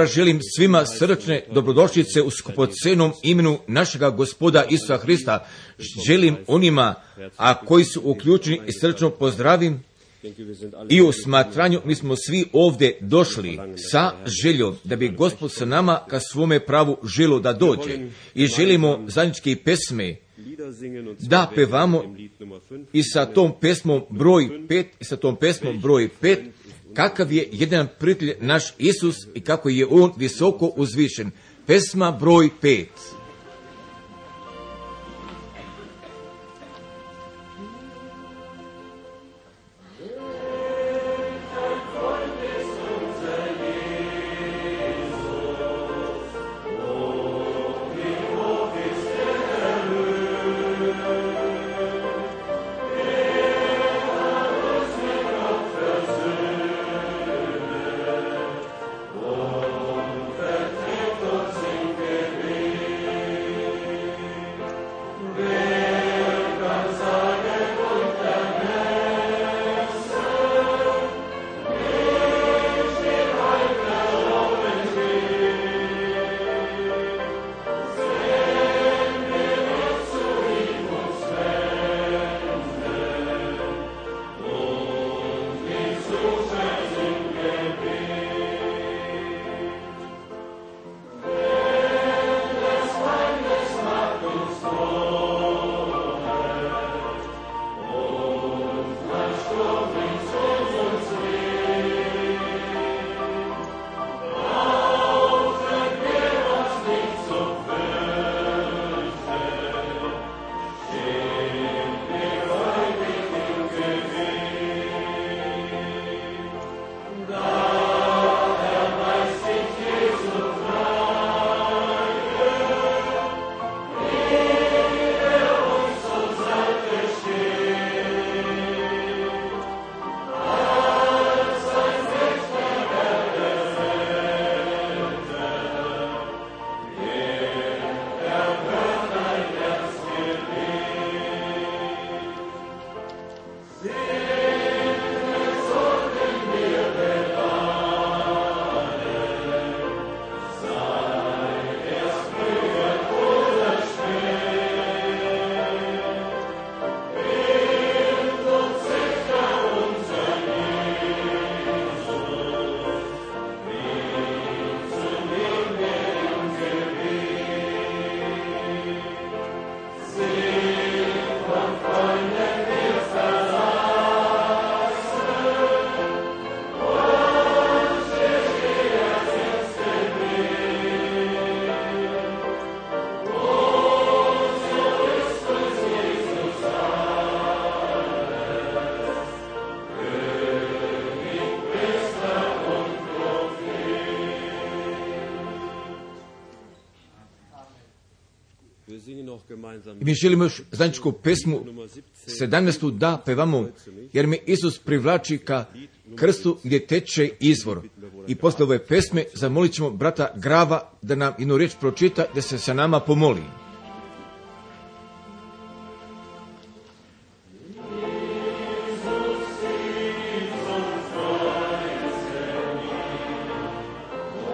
Želim svima srdačne dobrodošlice u skupocenom imenu našega Gospoda Isusa Hrista. Želim onima, a koji su uključeni i srdačno pozdravim. I u smatranju mi smo svi ovdje došli sa željom da bi Gospod sa nama ka svome pravu želo da dođe. I želimo zajedničke pesme da pevamo i sa tom pesmom broj 5, kakav je jedan prijatelj naš Isus i kako je on visoko uzvišen. Pesma broj 5. Mi želimo još zajedničku pesmu 17. da pevamo, jer me Isus privlači ka krstu gdje teče izvor. I posle ove pesme zamolit ćemo brata Grava da nam jednu riječ pročita, da se sa nama pomoli. Yeah.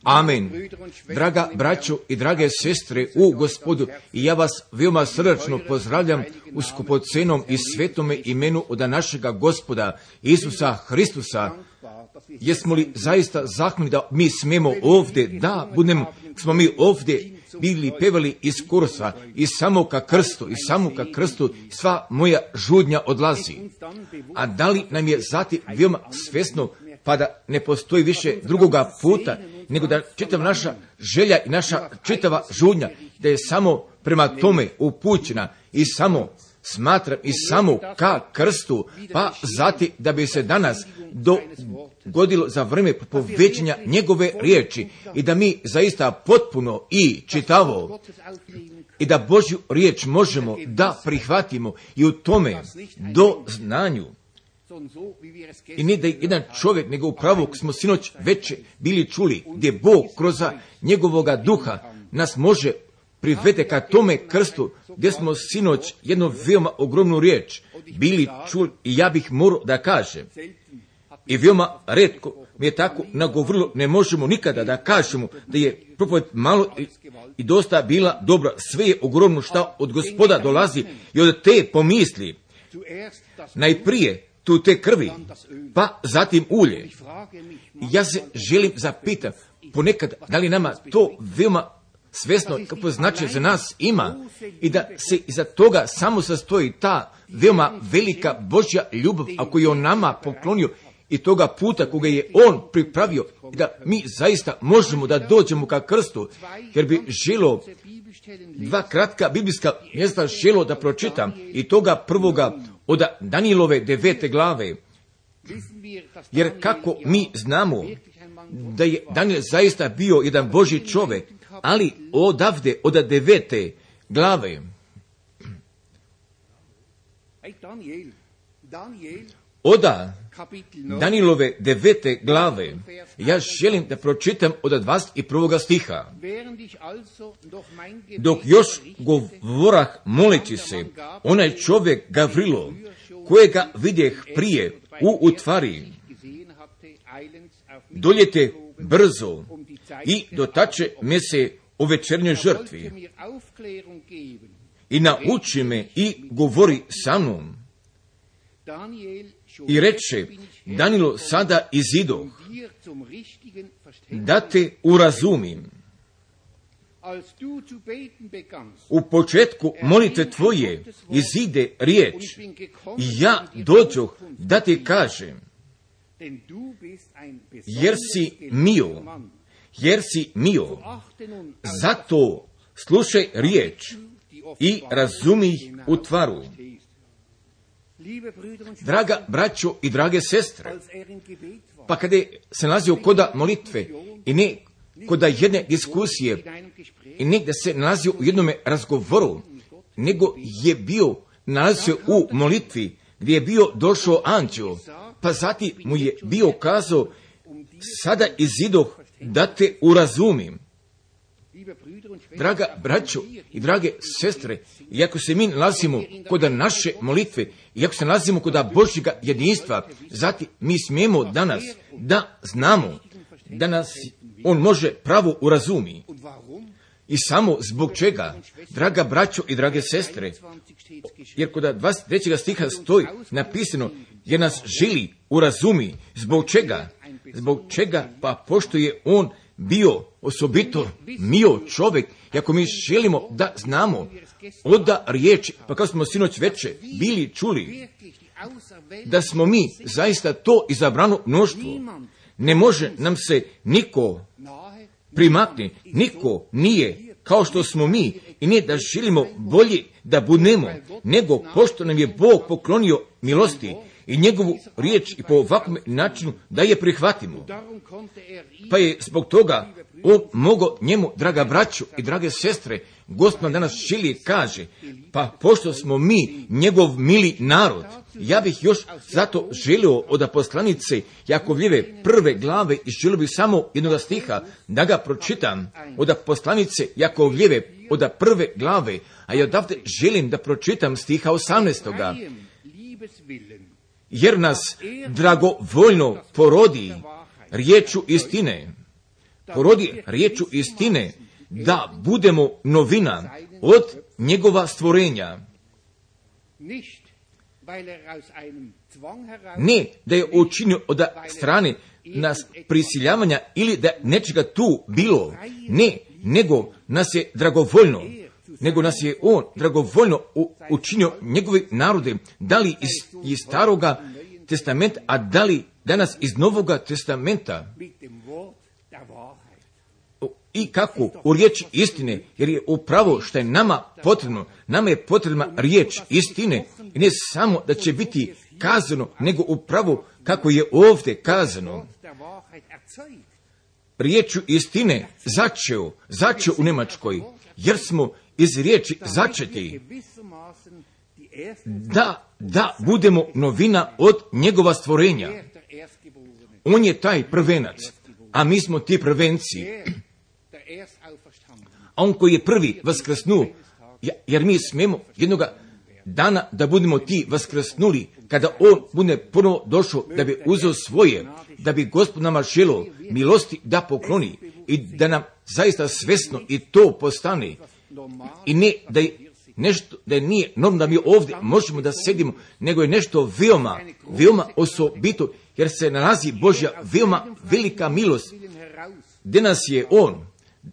Amen. Draga braćo i drage sestre u Gospodu, i ja vas veoma srdačno pozdravljam u skupocenom i svetome imenu od našega Gospoda Isusa Hristusa. Jesmo li zaista zahvalni da mi smemo ovdje, da budemo, smo mi ovdje bili pevali iz kursa i samo ka krstu sva moja žudnja odlazi. A da li nam je zatim veoma svesno, pa da ne postoji više drugoga puta, nego da čitava naša želja i naša čitava žudnja, da je samo prema tome upućena i samo smatram i samo ka krstu, pa zatim da bi se danas dogodilo za vrijeme propoveđenja njegove riječi i da mi zaista potpuno i čitavo i da Božju riječ možemo da prihvatimo i u tome do znanju. I ne da je jedan čovjek, nego upravo smo sinoć već bili čuli, gdje Bog kroz njegovoga duha nas može privede ka tome krstu, gdje smo sinoć jednu veoma ogromnu riječ bili čuli i ja bih morao da kažem. I veoma retko mi je tako nagovorilo, ne možemo nikada da kažemo da je propoved malo i dosta bila dobra. Sve je ogromno šta od Gospoda dolazi i od te pomisli. Najprije tu te krvi, pa zatim ulje. Ja se želim zapitati, ponekad da li nama to veoma svesno kako znači za nas ima i da se iza toga samo sastoji ta veoma velika Božja ljubav, ako je on nama poklonio i toga puta koga je on pripravio i da mi zaista možemo da dođemo ka krstu, jer bi želo dva kratka biblijska mjesta želo da pročitam i toga prvoga od Danijelove 9. glave, jer kako mi znamo da je Danijel zaista bio jedan Božji čovjek, ali odavde od 9. glave od Danijelove 9. glave ja želim da pročitam od 21. stiha. Dok još govorah moleći se, onaj čovjek Gavrilo, kojega vidjeh prije u utvari, doljete brzo i dotače me se o večernjoj žrtvi i nauči me i govori sa mnom. I reče, Danilo, sada izidoh, da te urazumim. U početku molitve tvoje izide riječ i ja dođoh da ti kažem, jer si mio, zato slušaj riječ i razumi u tvaru. Draga braćo i drage sestre, pa kada se nalazio koda molitve i ne koda jedne diskusije i ne da se nalazio u jednome razgovoru, nego je bio nalazio u molitvi gdje je bio došao anđeo, pa zatim mu je bio kazao, sada izidoh da te urazumim. Draga braćo i drage sestre, iako se mi nalazimo kod naše molitve, iako se nalazimo kod Božjega jedinstva, zatim mi smijemo danas da znamo da nas on može pravo urazumi. I samo zbog čega, draga braćo i drage sestre, jer kod 23. stiha stoji napisano, jer nas želi urazumi. Zbog čega? Zbog čega? Pa pošto je on bio osobito mio čovjek, i ako mi želimo da znamo oda riječi, pa kao smo sinoć veče bili čuli, da smo mi zaista to izabrano mnoštvo, ne može nam se niko primakni, niko nije kao što smo mi i nije da želimo bolje da budemo, nego pošto nam je Bog poklonio milosti i njegovu riječ i po ovakvom načinu da je prihvatimo. Pa je zbog toga on mogao njemu, draga braćo i drage sestre, Gospod nam danas želi kaže, pa pošto smo mi njegov mili narod, ja bih još zato želio od poslanice Jakovljeve 1. glave i želio bih samo jednog stiha da ga pročitam od poslanice Jakovljeve od 1. glave, a ja odavde želim da pročitam stiha 18. Jer nas dragovoljno porodi riječu istine. Porodi riječu istine da budemo novina od njegova stvorenja. Ne da je učinio od strane nas prisiljavanja ili da nečega tu bilo. Ne, nego nas je dragovoljno. Nego nas je on dragovoljno učinio njegovi narode, da li iz staroga testamenta, a da li danas iz novoga testamenta. I kako? U riječi istine, jer je upravo što je nama potrebno. Nama je potrebna riječ istine. I ne samo da će biti kazano, nego upravo kako je ovdje kazano. Riječu istine začeo u Njemačkoj, jer smo iz riječi začeti da budemo novina od njegova stvorenja. On je taj prvenac, a mi smo ti prvenci. A on koji je prvi vaskrsnuo, jer mi smemo jednoga dana da budemo ti vaskrsnuli, kada on bude ponovo došao da bi uzeo svoje, da bi Gospod nama želio milosti da pokloni i da nam zaista svesno i to postane. I ne da je nešto, da nije normalno da mi ovdje možemo da sedimo, nego je nešto veoma osobito, jer se nalazi Božja veoma velika milost, gdje nas je on,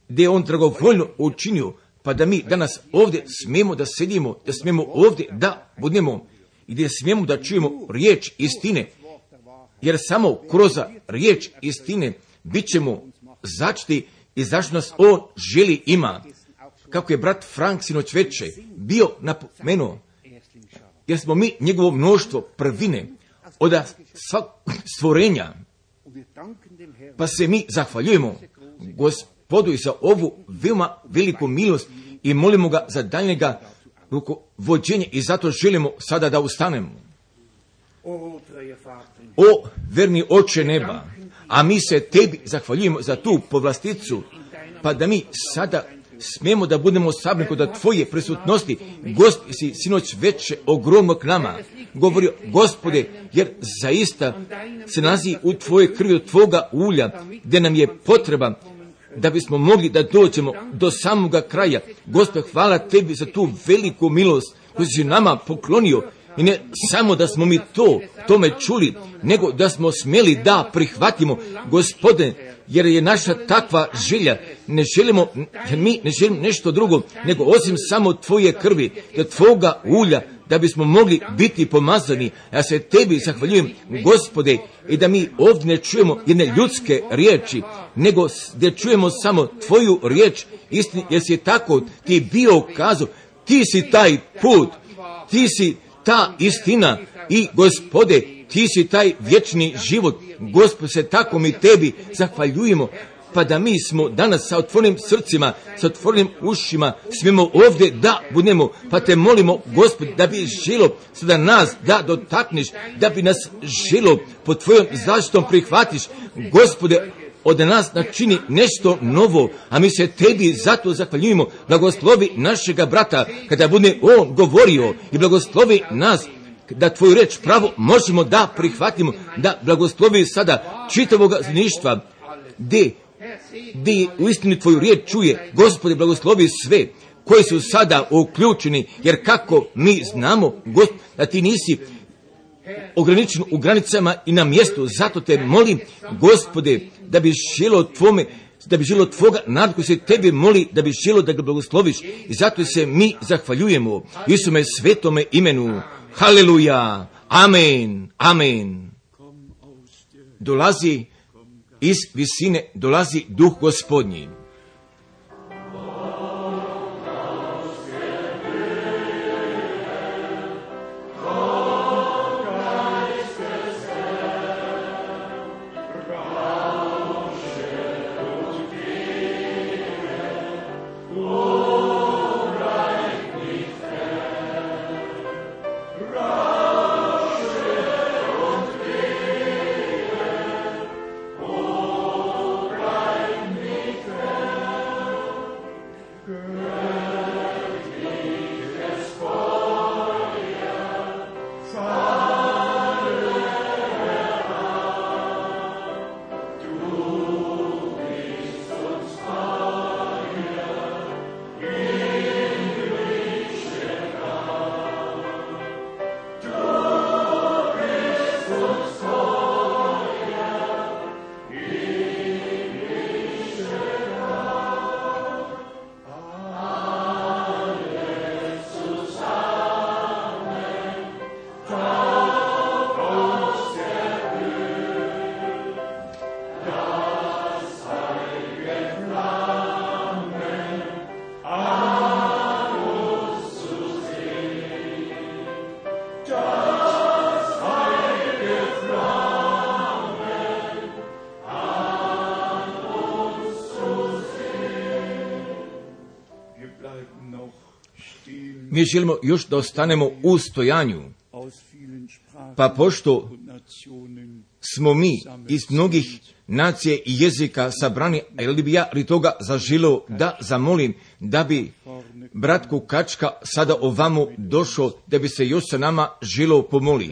gdje je on dragovoljno učinio, pa da mi danas ovdje smijemo da sedimo, da smijemo ovdje da budemo i gdje smijemo da čujemo riječ istine, jer samo kroz riječ istine bit ćemo začeti i zašto nas on želi ima. Kako je brat Frank sinoć veče bio napomenuo, jer smo mi njegovo mnoštvo prvine od svak stvorenja, pa se mi zahvaljujemo Gospodu i za ovu veoma veliku milost i molimo ga za daljnjega rukovođenja i zato želimo sada da ustanemo. O verni Oče neba, a mi se tebi zahvaljujemo za tu povlasticu, pa da mi sada smijemo da budemo sabrani kod tvoje prisutnosti. Gost si sinoć veče ogromno k nama govorio, Gospode, jer zaista se nalazi u tvoje krvi, od tvoga ulja, gdje nam je potreba da bismo mogli da dođemo do samoga kraja. Gospode, hvala tebi za tu veliku milost koju si nama poklonio. I ne samo da smo mi tome čuli, nego da smo smjeli da prihvatimo, Gospode, jer je naša takva želja. Ne želimo, jer mi ne želimo nešto drugo, nego osim samo tvoje krvi, da tvoga ulja, da bismo mogli biti pomazani. Ja se tebi zahvaljujem, Gospode, i da mi ovdje ne čujemo jedne ljudske riječi, nego da čujemo samo tvoju riječ istini, jer si tako ti bio kazao, ti si taj put, ti si ta istina i Gospode, ti si taj vječni život. Gospod, se tako mi tebi zahvaljujemo, pa da mi smo danas sa otvorenim srcima, sa otvorenim ušima, smijemo ovdje da budemo, pa te molimo, Gospod, da bi želo sada nas da dotakneš, da bi nas želo pod tvojom zaštitom prihvatiš, Gospode, od nas načini nešto novo, a mi se tebi zato zahvaljujemo. Blagoslovi našega brata kada bude on govorio i blagoslovi nas da tvoju reč pravo možemo da prihvatimo, da blagoslovi sada čitavog zništva gdje uistinu tvoju riječ čuje. Gospode, blagoslovi sve koji su sada uključeni, jer kako mi znamo, Gospod, da ti nisi ograničen u granicama i na mjestu, zato te molim, Gospode, da bi želo tvome, da bi želo tvoga naroda koji se tebi moli, da bi želo da ga blagosloviš, i zato se mi zahvaljujemo Isume svetome imenu. Haleluja, amen, amen. Dolazi iz visine, dolazi duh Gospodnji. Mi želimo još da ostanemo u stojanju. Pa pošto smo mi iz mnogih nacije i jezika sabrani, ali bi ja radi toga zaželio da zamolim da bi brat Kukačka sada ovamo došao, da bi se još sa nama želio pomoli.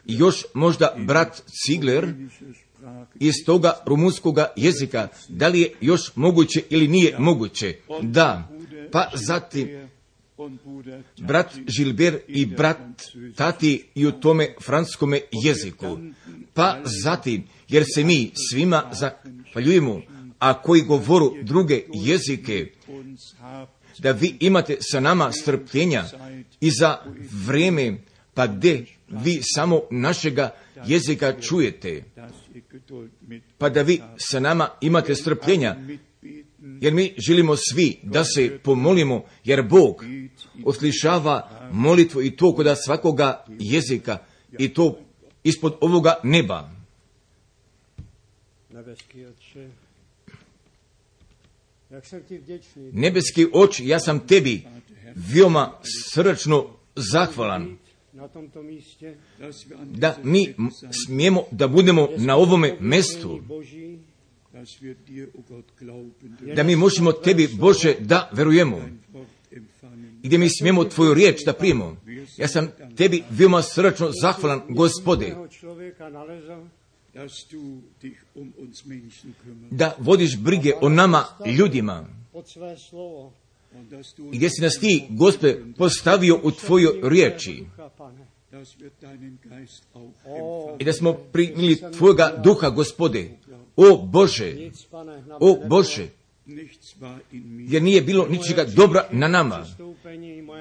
Još možda brat Cigler iz toga rumunskoga jezika, da li je još moguće ili nije moguće? Da, pa zatim brat Žilber i brat Tati i u tome francuskome jeziku. Pa zatim, jer se mi svima zahvaljujemo, a koji govoru druge jezike, da vi imate sa nama strpljenja i za vrijeme, pa gdje vi samo našega jezika čujete, pa da vi sa nama imate strpljenja, jer mi želimo svi da se pomolimo, jer Bog oslišava molitvu i to kod svakoga jezika i to ispod ovoga neba. Nebeski oče, ja sam tebi veoma srdačno zahvalan da mi smijemo da budemo na ovome mjestu, da mi možemo tebi, Bože, da verujemo i gdje mi smijemo tvoju riječ da primimo. Ja sam tebi veoma srdačno zahvalan, Gospode, da vodiš brige o nama ljudima i gdje si nas ti, Gospode, postavio u tvojoj riječi i da smo primili tvojega duha, Gospode. O Bože, jer nije bilo ničega dobra na nama,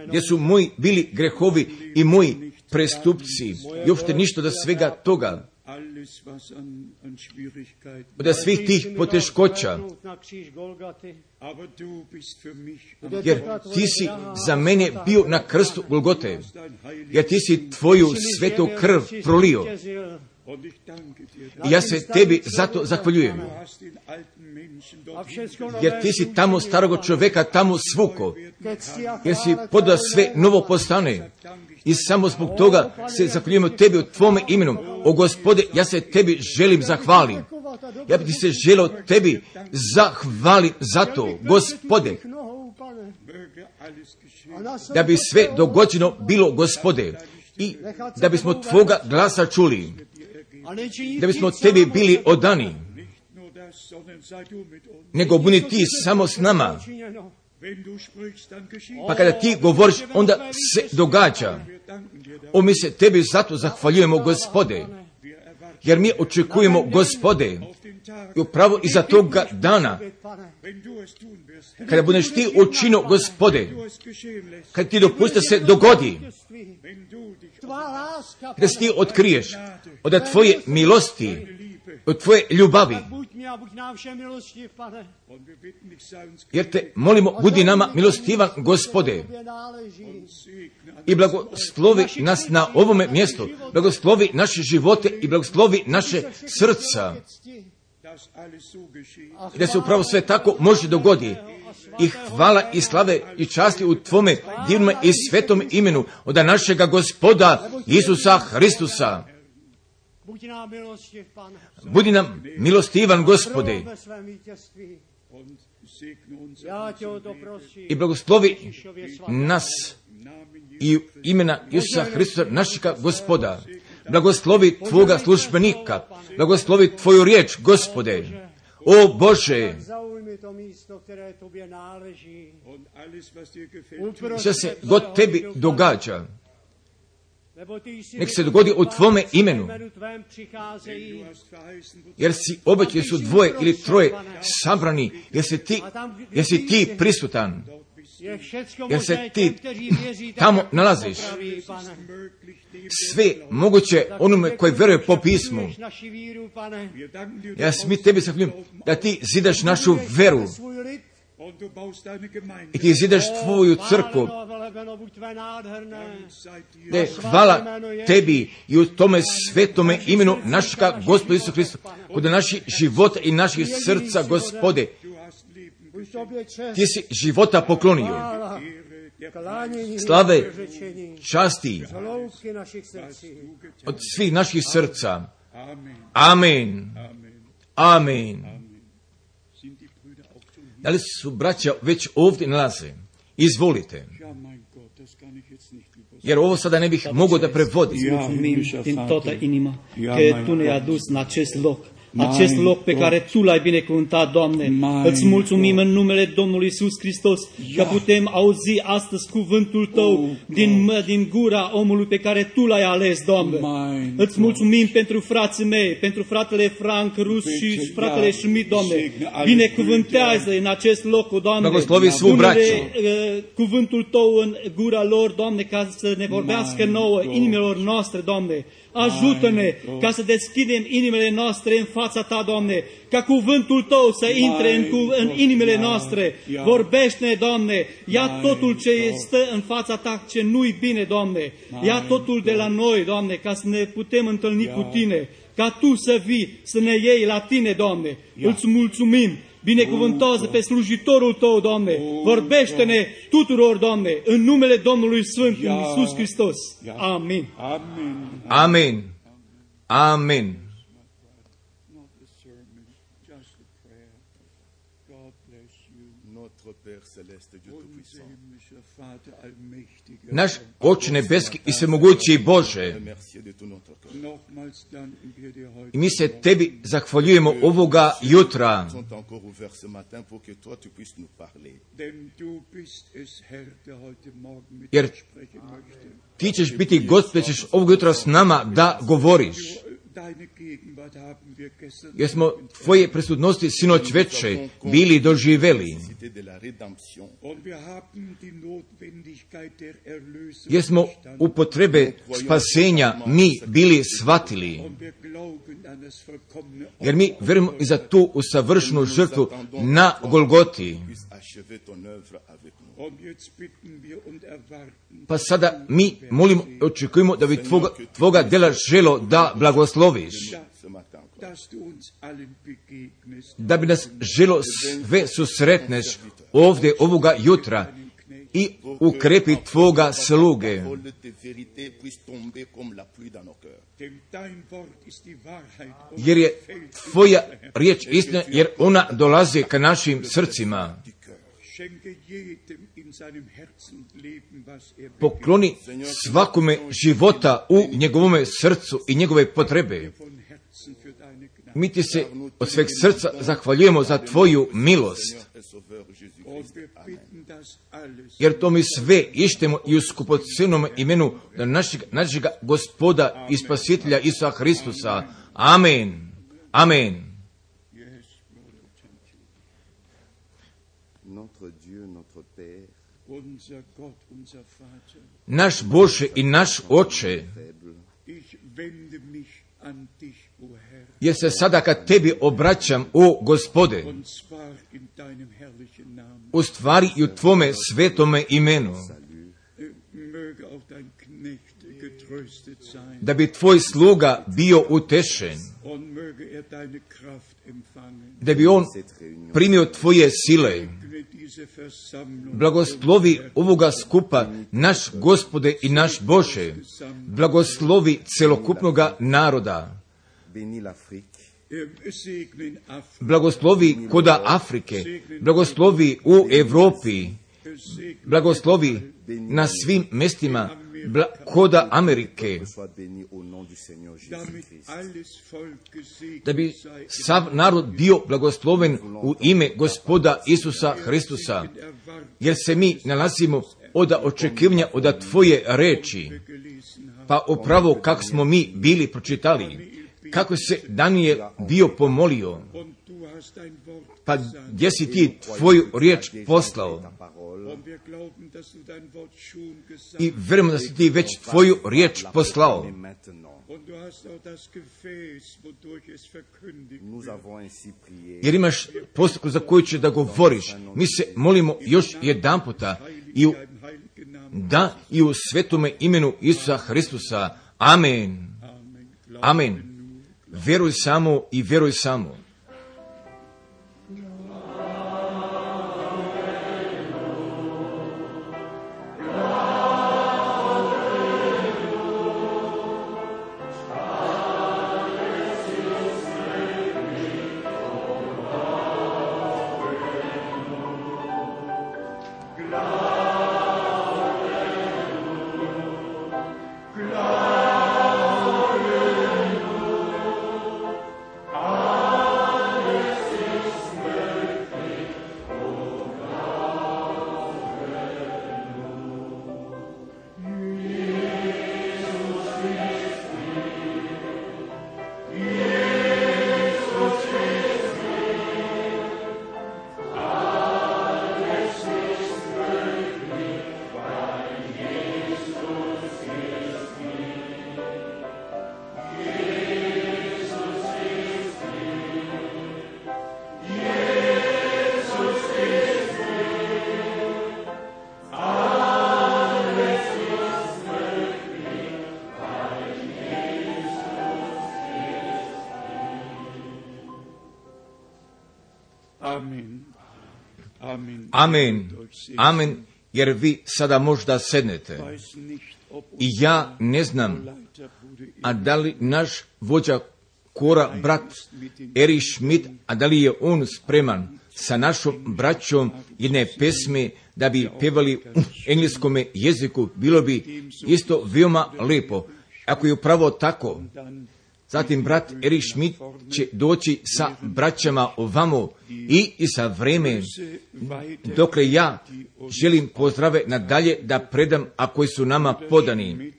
gdje su moji bili grehovi i moji prestupci i uopšte ništa od svega toga, od svih tih poteškoća, jer ti si za mene bio na krstu Golgote, jer ti si tvoju svetu krv prolio. I ja se tebi zato zahvaljujem, jer ti si tamo starog čovjeka tamo svuko, jer si podao sve novo postane. I samo zbog toga se zahvaljujemo tebi u tvome imenu. O Gospode, ja se tebi želim zahvalim. Ja bi ti se želio tebi zahvalim za to, Gospode, da bi sve dogođeno bilo, Gospode, i da bismo tvoga glasa čuli, da bismo tebi bili odani, nego budi ti samo s nama. Pa kada ti govoriš, onda se događa. O, mi se tebi zato zahvaljujemo, Gospode, jer mi očekujemo, Gospode, i upravo iza toga dana, kada budeš ti učinio, Gospode, kada ti dopusti se dogodi, kada se ti otkriješ od tvoje milosti, od tvoje ljubavi, jer te molimo, budi nama milostivan, Gospode, i blagoslovi nas na ovome mjestu, blagoslovi naše živote i blagoslovi naše srca, da se upravo sve tako može dogoditi. I hvala i slave i časti u tvome divnom i svetom imenu od našega Gospoda Isusa Hristusa. Budi nam milostivan, Gospode, i blagoslovi nas i imena Isusa Hristusa, našega Gospoda. Blagoslovi tvoga službenika, blagoslovi tvoju riječ, Gospode. O Bože, što se god tebi događa, nek se dogodi u tvome imenu, jer si obećao su dvoje ili troje sabrani, jer si ti prisutan, jer se ti tamo nalaziš. Sve moguće onome koji veruje po pismu. Ja mi tebi zahvaljujem da ti zidaš našu veru i ti zidaš tvoju crkvu. Hvala tebi i u tome svetome imenu našega Gospoda Isusa Hrista, kod naših života i naših srca, Gospode. Ti si života poklonio slave, časti od svih naših srca. Amen. Amen. Da li su braća već ovdje nalaze? Izvolite. Jer ovo sada ne bih mogao da prevodim. Din toată inima că Tu ne-ai adus în acest loc. Acest loc pe care Tu l-ai binecuvântat, Doamne. Îți mulțumim în numele Domnului Iisus Hristos că putem auzi astăzi cuvântul Tău din gura omului pe care Tu l-ai ales, Doamne. Îți mulțumim pentru frații mei, pentru fratele Frank Rus și fratele Schmidt, Doamne. Binecuvântează în acest loc, Doamne. Pune cuvântul Tău în gura lor, Doamne, ca să ne vorbească nouă inimilor noastre, Doamne. Ajută-ne ca să deschidem inimile noastre în fața Ta, Doamne, ca cuvântul Tău să intre în inimile noastre. Vorbește-ne, Doamne, ia totul ce stă în fața Ta, ce nu-i bine, Doamne. Ia totul de la noi, Doamne, ca să ne putem întâlni cu Tine, ca Tu să vii, să ne iei la Tine, Doamne. Îți mulțumim. Binecuvântează pe slujitorul Tău, Doamne. Vorbește-ne tuturor, Doamne, în numele Domnului Sfânt, Iisus Hristos. Amin. Amen. Amen. Naš Oče nebeski i svemogući Bože, i mi se Tebi zahvaljujemo ovoga jutra, jer Ti ćeš biti Gospod, ćeš ovog jutra s nama da govoriš. Jer smo Tvoje prisutnosti sinoć veče bili doživeli. Jer smo u potrebe spasenja mi bili shvatili. Jer mi verujemo i za tu usavršenu žrtvu na Golgoti. Pa sada mi molimo i očekujemo da bi Tvoga djela želo da blagosloviš. Da bi nas želo sve susretneš ovdje ovoga jutra i ukrepi Tvoga sluge. Jer je Tvoja riječ istina, jer ona dolazi ka našim srcima. Pokloni svakome života u njegovome srcu i njegove potrebe. Mi Ti se od sveg srca zahvaljujemo za Tvoju milost. Jer to mi sve ištemo i u skupocenom imenu našeg Gospoda i Spasitelja Isusa Hristusa. Amen. Amen. Naš Bože i naš Oče, jer se sada kad Tebi obraćam, o Gospode, u stvari i u Tvome svetome imenu, da bi Tvoj sluga bio utešen, da bi on primio Tvoje sile. Blagoslovi ovoga skupa, naš Gospode i naš Bože. Blagoslovi celokupnoga naroda. Blagoslovi koda Afrike. Blagoslovi u Evropi. Blagoslovi na svim mestima koda Amerike. Da bi sav narod bio blagosloven u ime Gospoda Isusa Hristusa. Jer se mi nalazimo od očekivanja od Tvoje reči. Pa upravo kako smo mi bili pročitali. Kako se Danijel bio pomolio. Pa gdje si Ti Tvoju riječ poslao? I vjerujemo da si Ti već Tvoju riječ poslao. Jer imaš postupku za koju će da govoriš. Mi se molimo još jedan puta i u svetome imenu Isusa Hristusa. Amen. Amen. Vjeruj samo i vjeruj samo. Amen, amen, jer vi sada možda sednete. I ja ne znam, a da li naš vođa kora, brat Erich Schmidt, a da li je on spreman sa našom braćom jedne pesme da bi pevali u engleskom jeziku, bilo bi isto veoma lepo. Ako je upravo tako, zatim brat Erich Schmidt će doći sa braćama ovamo i za vreme dokle ja želim pozdrave nadalje da predam, a koji su nama podani.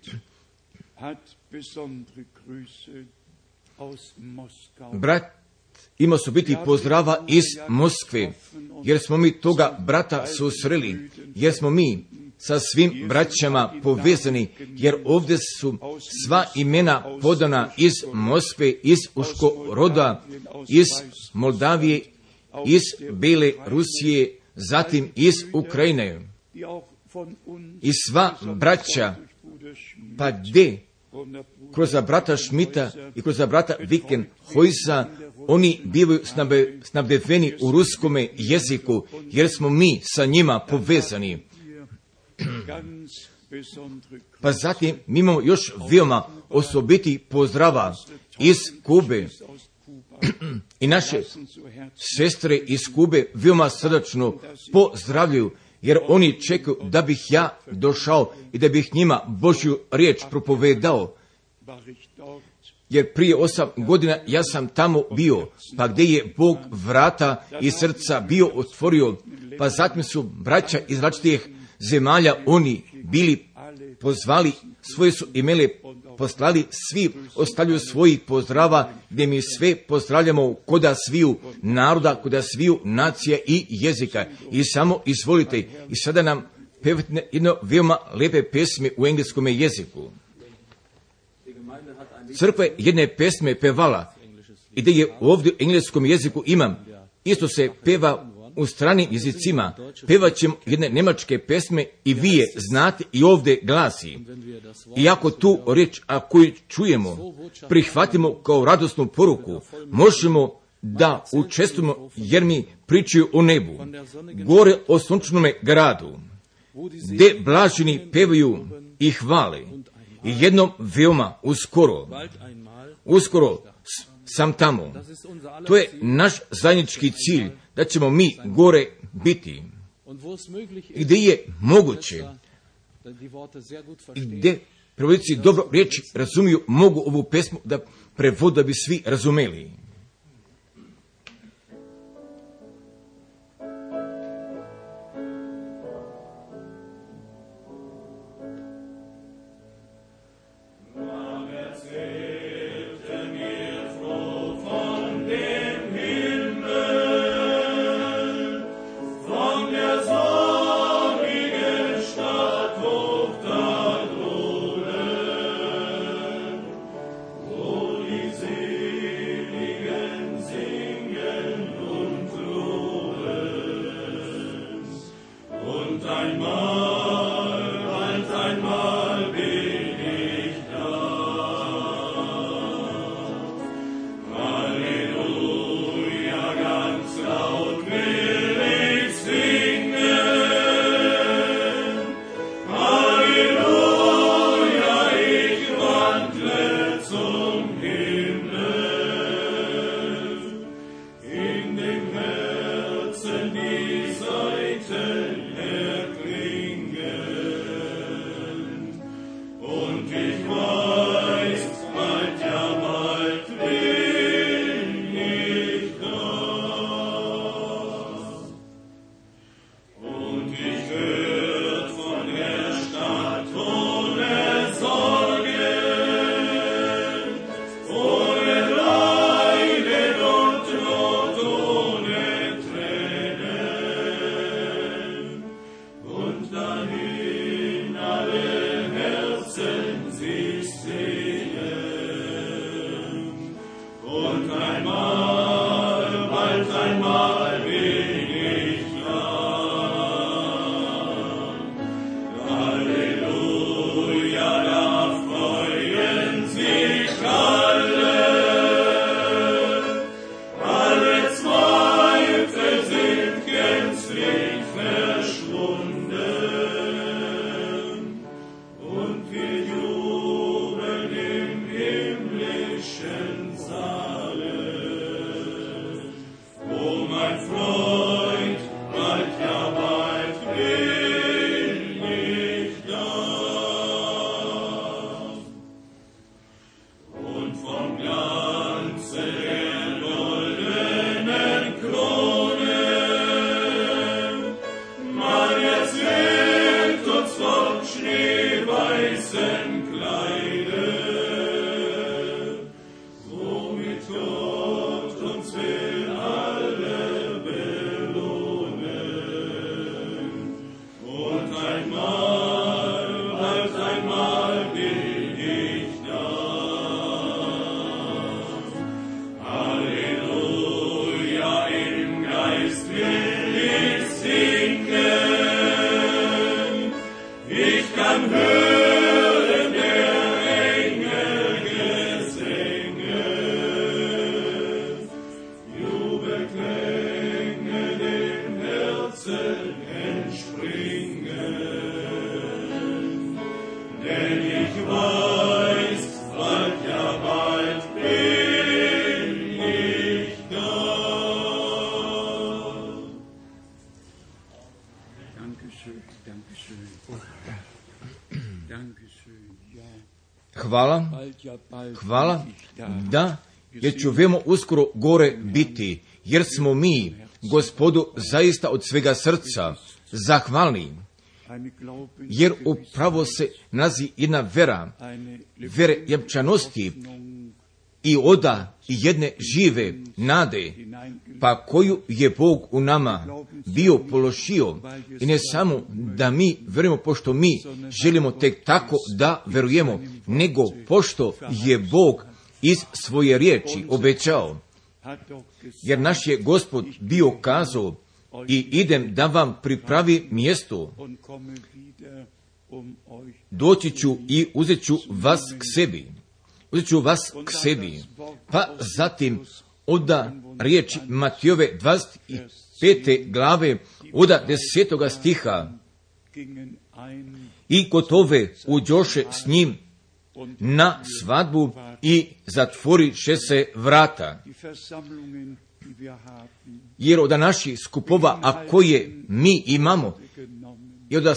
Brat ima su biti pozdrava iz Moskve, jer smo mi toga brata susreli, jer smo mi sa svim braćama povezani, jer ovdje su sva imena podana iz Moskve, iz Uškoroda, iz Moldavije, iz Bele Rusije, zatim iz Ukrajine. I sva braća, pa gdje? Kroz brata Šmita i kroz brata Wikenhojsa, oni bivaju snabdeveni u ruskome jeziku, jer smo mi sa njima povezani. Pa zatim mi imamo još veoma osobiti pozdrava iz Kube. I naše sestre iz Kube veoma srdačno pozdravljaju, jer oni čekaju da bih ja došao i da bih njima Božju riječ propovedao. Jer prije 8 godina ja sam tamo bio, pa gdje je Bog vrata i srca bio otvorio, pa zatim su braća iz različitih zemalja oni bili pozvali, svoje su imele poslali, svi ostavljaju svojih pozdrava, gdje mi sve pozdravljamo koda sviju naroda, koda sviju nacija i jezika. I samo izvolite, i sada nam pevate jedno veoma lepe pesme u engleskom jeziku. Crkva jedne pesme pevala, i da je ovdje u engleskom jeziku imam, isto se peva u stranim jezicima, pevat ćemo jedne njemačke pesme i vi je znate i ovdje glasi. I ako tu riječ, a koju čujemo, prihvatimo kao radosnu poruku, možemo da učestvujemo, jer mi pričaju o nebu, gore o sunčnome gradu, gdje blaženi pevaju i hvale. I jednom veoma uskoro sam tamo. To je naš zajednički cilj, da ćemo mi gore biti. I gdje je moguće, i gdje prevodnici dobro riječi razumiju, mogu ovu pesmu da prevodu da bi svi razumeli. Selige hvala, da, jer ću veoma uskoro gore biti, jer smo mi Gospodu zaista od svega srca zahvalni, jer upravo se nalazi jedna vere jamčanosti i oda i jedne žive nade, pa koju je Bog u nama bio položio, i ne samo da mi verujemo pošto mi želimo tek tako da verujemo, nego pošto je Bog iz svoje riječi obećao, jer naš je Gospod bio kazao, i idem da vam pripravi mjesto, doći ću i uzet ću vas k sebi. Pa zatim oda riječi Matijove 25. glave, oda 10. stiha, i gotove uđoše s njim na svadbu i zatvoriše se vrata. Jer od naših skupova, a koje mi imamo, i od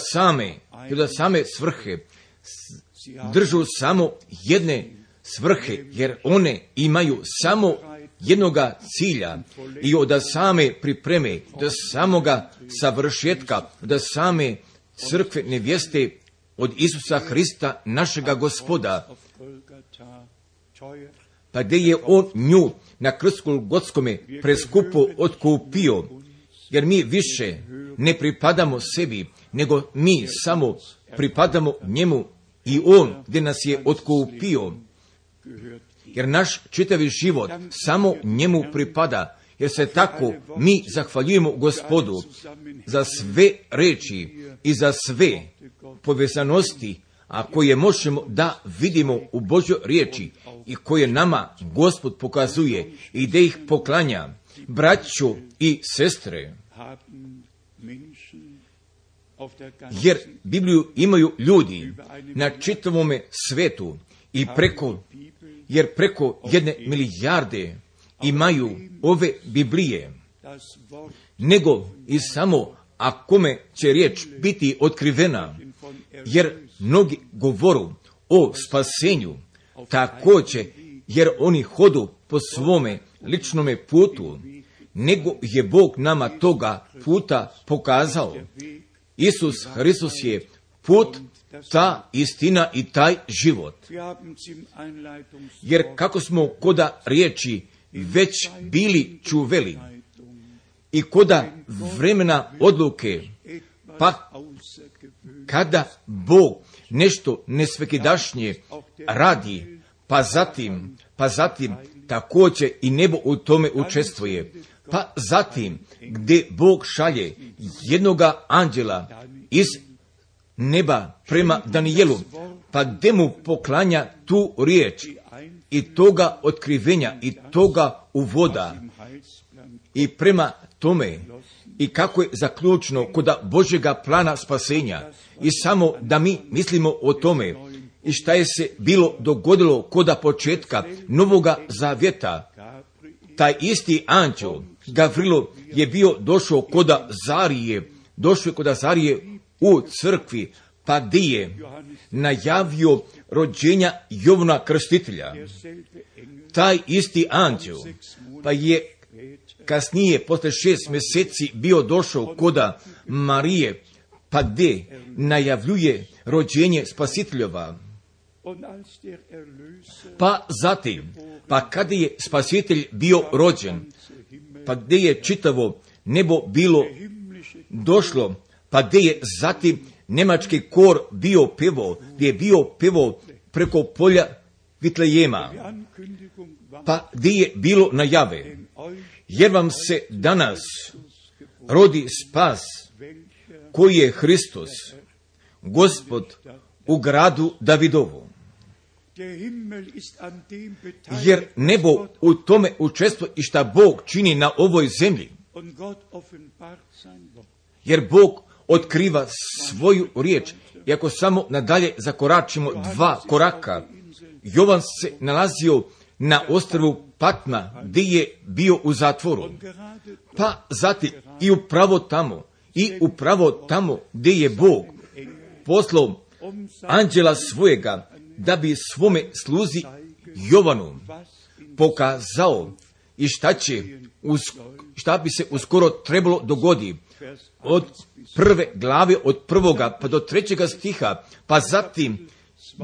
same svrhe, držu samo jedne svrhe, jer one imaju samo jednoga cilja, i od same pripreme, do samoga savršetka, do same crkve nevjeste od Isusa Hrista, našega Gospoda, pa gdje je on nju na krstu Golgotskome preskupo otkupio, jer mi više ne pripadamo sebi, nego mi samo pripadamo njemu, i on gdje nas je otkupio, jer naš čitavi život samo njemu pripada, jer se tako mi zahvaljujemo Gospodu za sve reči i za sve povezanosti, a koje možemo da vidimo u Božjoj riječi i koje nama Gospod pokazuje i da ih poklanja. Braćo i sestre, jer Bibliju imaju ljudi na čitavome svetu, i preko 1 milijarde imaju ove Biblije, nego i samo a kome će riječ biti otkrivena, jer mnogi govoru o spasenju, također jer oni hodu po svome ličnome putu, nego je Bog nama toga puta pokazao. Isus Hristos je put, ta istina i taj život. Jer kako smo koda riječi već bili čuveli i koda vremena odluke, pa kada Bog nešto nesvekidašnje radi, pa zatim također i nebo u tome učestvuje. Pa zatim gdje Bog šalje jednoga anđela iz neba prema Danijelu, pa gdje mu poklanja tu riječ i toga otkrivenja i toga uvoda, i prema tome i kako je zaključno koda Božjega plana spasenja, i samo da mi mislimo o tome i šta je se bilo dogodilo koda početka Novoga Zavjeta. Taj isti anđel Gavrilo je bio došao koda Zarije u crkvi, pa gdje je najavio rođenja Jovana Krstitelja. Taj isti anđel pa je kasnije, posle 6 mjeseci, bio došao koda Marije, pa gdje najavljuje rođenje Spasiteljova. Pa zatim, pa kada je Spasitelj bio rođen, pa gdje je čitavo nebo bilo došlo, pa gdje je zatim njemački kor bio pevao, gdje je bio pevao preko polja Vitlejema, pa gdje je bilo najave, jer vam se danas rodi spas, koji je Hristos, Gospod, u gradu Davidovu. Jer nebo u tome učestvuje i šta Bog čini na ovoj zemlji. Jer Bog otkriva svoju riječ. I ako samo nadalje zakoračimo 2 koraka, Jovan se nalazio na ostrvu Patma, gdje je bio u zatvoru. Pa zatim i upravo tamo gdje je Bog poslao anđela svojega da bi svome sluzi Jovanu pokazao i šta bi se uskoro trebalo dogodi od prve glave, od 1. pa do 3. stiha, pa zatim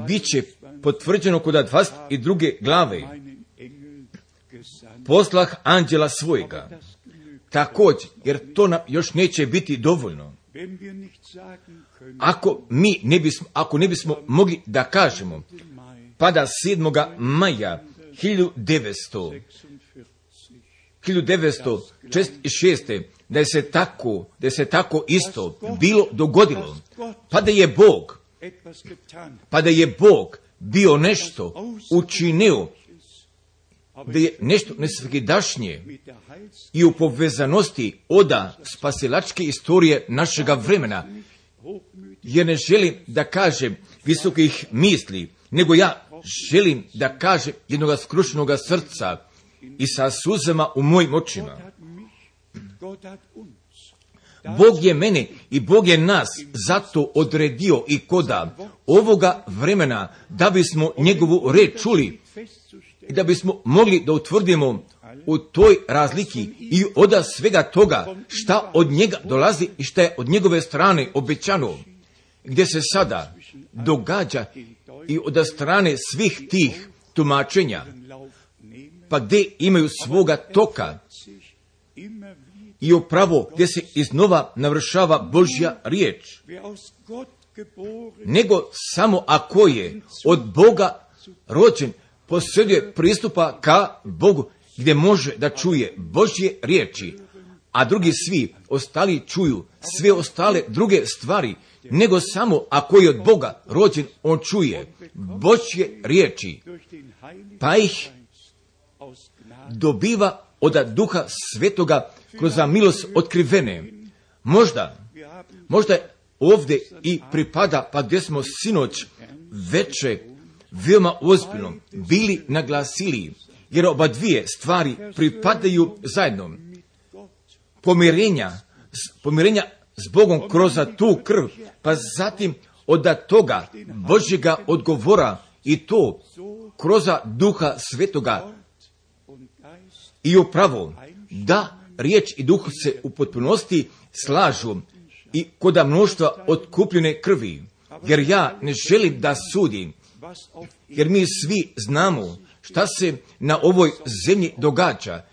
bit će potvrđeno kod 22. glave. Poslah anđela svojega. Također, jer to nam još neće biti dovoljno. Ako ne bismo mogli da kažemo, pada 7. maja 1946. da je se tako isto bilo dogodilo, pa da je Bog bio nešto učinio, da je nešto nesvakidašnje i u povezanosti oda spasilačke istorije našega vremena, jer ne želim da kažem visokih misli, nego ja želim da kažem jednog skrušenog srca i sa suzama u mojim očima. Bog je mene i Bog je nas zato odredio i koda ovoga vremena da bismo njegovu reč čuli i da bismo mogli da utvrdimo u toj razliki i od svega toga šta od njega dolazi i šta je od njegove strane obećano, gdje se sada događa i od strane svih tih tumačenja, pa gdje imaju svoga toka i upravo gdje se iznova navršava Božja riječ, nego samo ako je od Boga rođen, posjeduje pristupa ka Bogu, gdje može da čuje Božje riječi, a drugi svi ostali čuju sve ostale druge stvari, nego samo ako je od Boga rođen, on čuje Božje riječi, pa ih dobiva od Duha Svetoga kroz milost otkrivene. Možda ovdje i pripada, pa gdje smo sinoć veče veoma ozbiljno bili naglasili, jer oba dvije stvari pripadaju zajedno. Pomirenja s Bogom kroz tu krv, pa zatim od toga Božjega odgovora i to kroz Duha Svetoga. I upravo da riječ i duh se u potpunosti slažu i kod mnoštva otkupljene krvi, jer ja ne želim da sudim, jer mi svi znamo šta se na ovoj zemlji događa,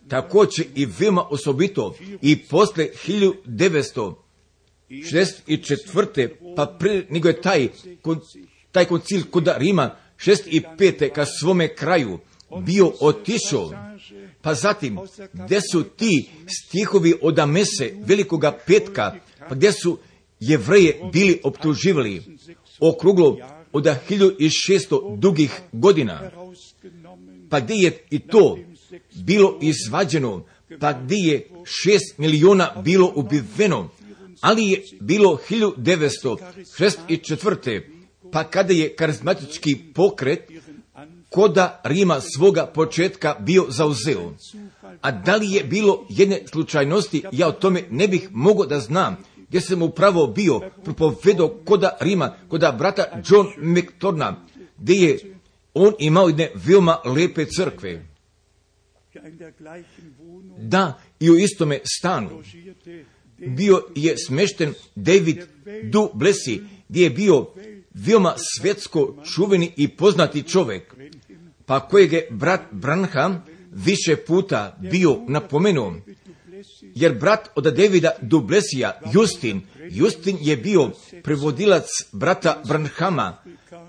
također i veoma osobito i posle 1964. pa prije nego je taj koncil kod Rima 65. ka svome kraju bio otišao, pa zatim gdje su ti stihovi od mese Velikoga petka, pa gdje su Jevreje bili optuživali okruglo od 1600 dugih godina, pa gdje je i to bilo izvađeno, pa gdje je 6 miliona bilo ubiveno, ali je bilo 1964. pa kada je karizmatički pokret koda Rima svoga početka bio zauzeo. A da li je bilo jedne slučajnosti, ja o tome ne bih mogao da znam, gdje sam upravo bio propovedao koda Rima, koda brata John McTorna, gdje je on imao jedne veoma lepe crkve. Da, i u istome stanu bio je smešten David Du Plessis, gdje je bio veoma svjetsko čuveni i poznati čovjek, pa kojeg je brat Branham više puta bio napomenuo, jer brat od Davida Du Plessisa, Justin je bio prevodilac brata Branhama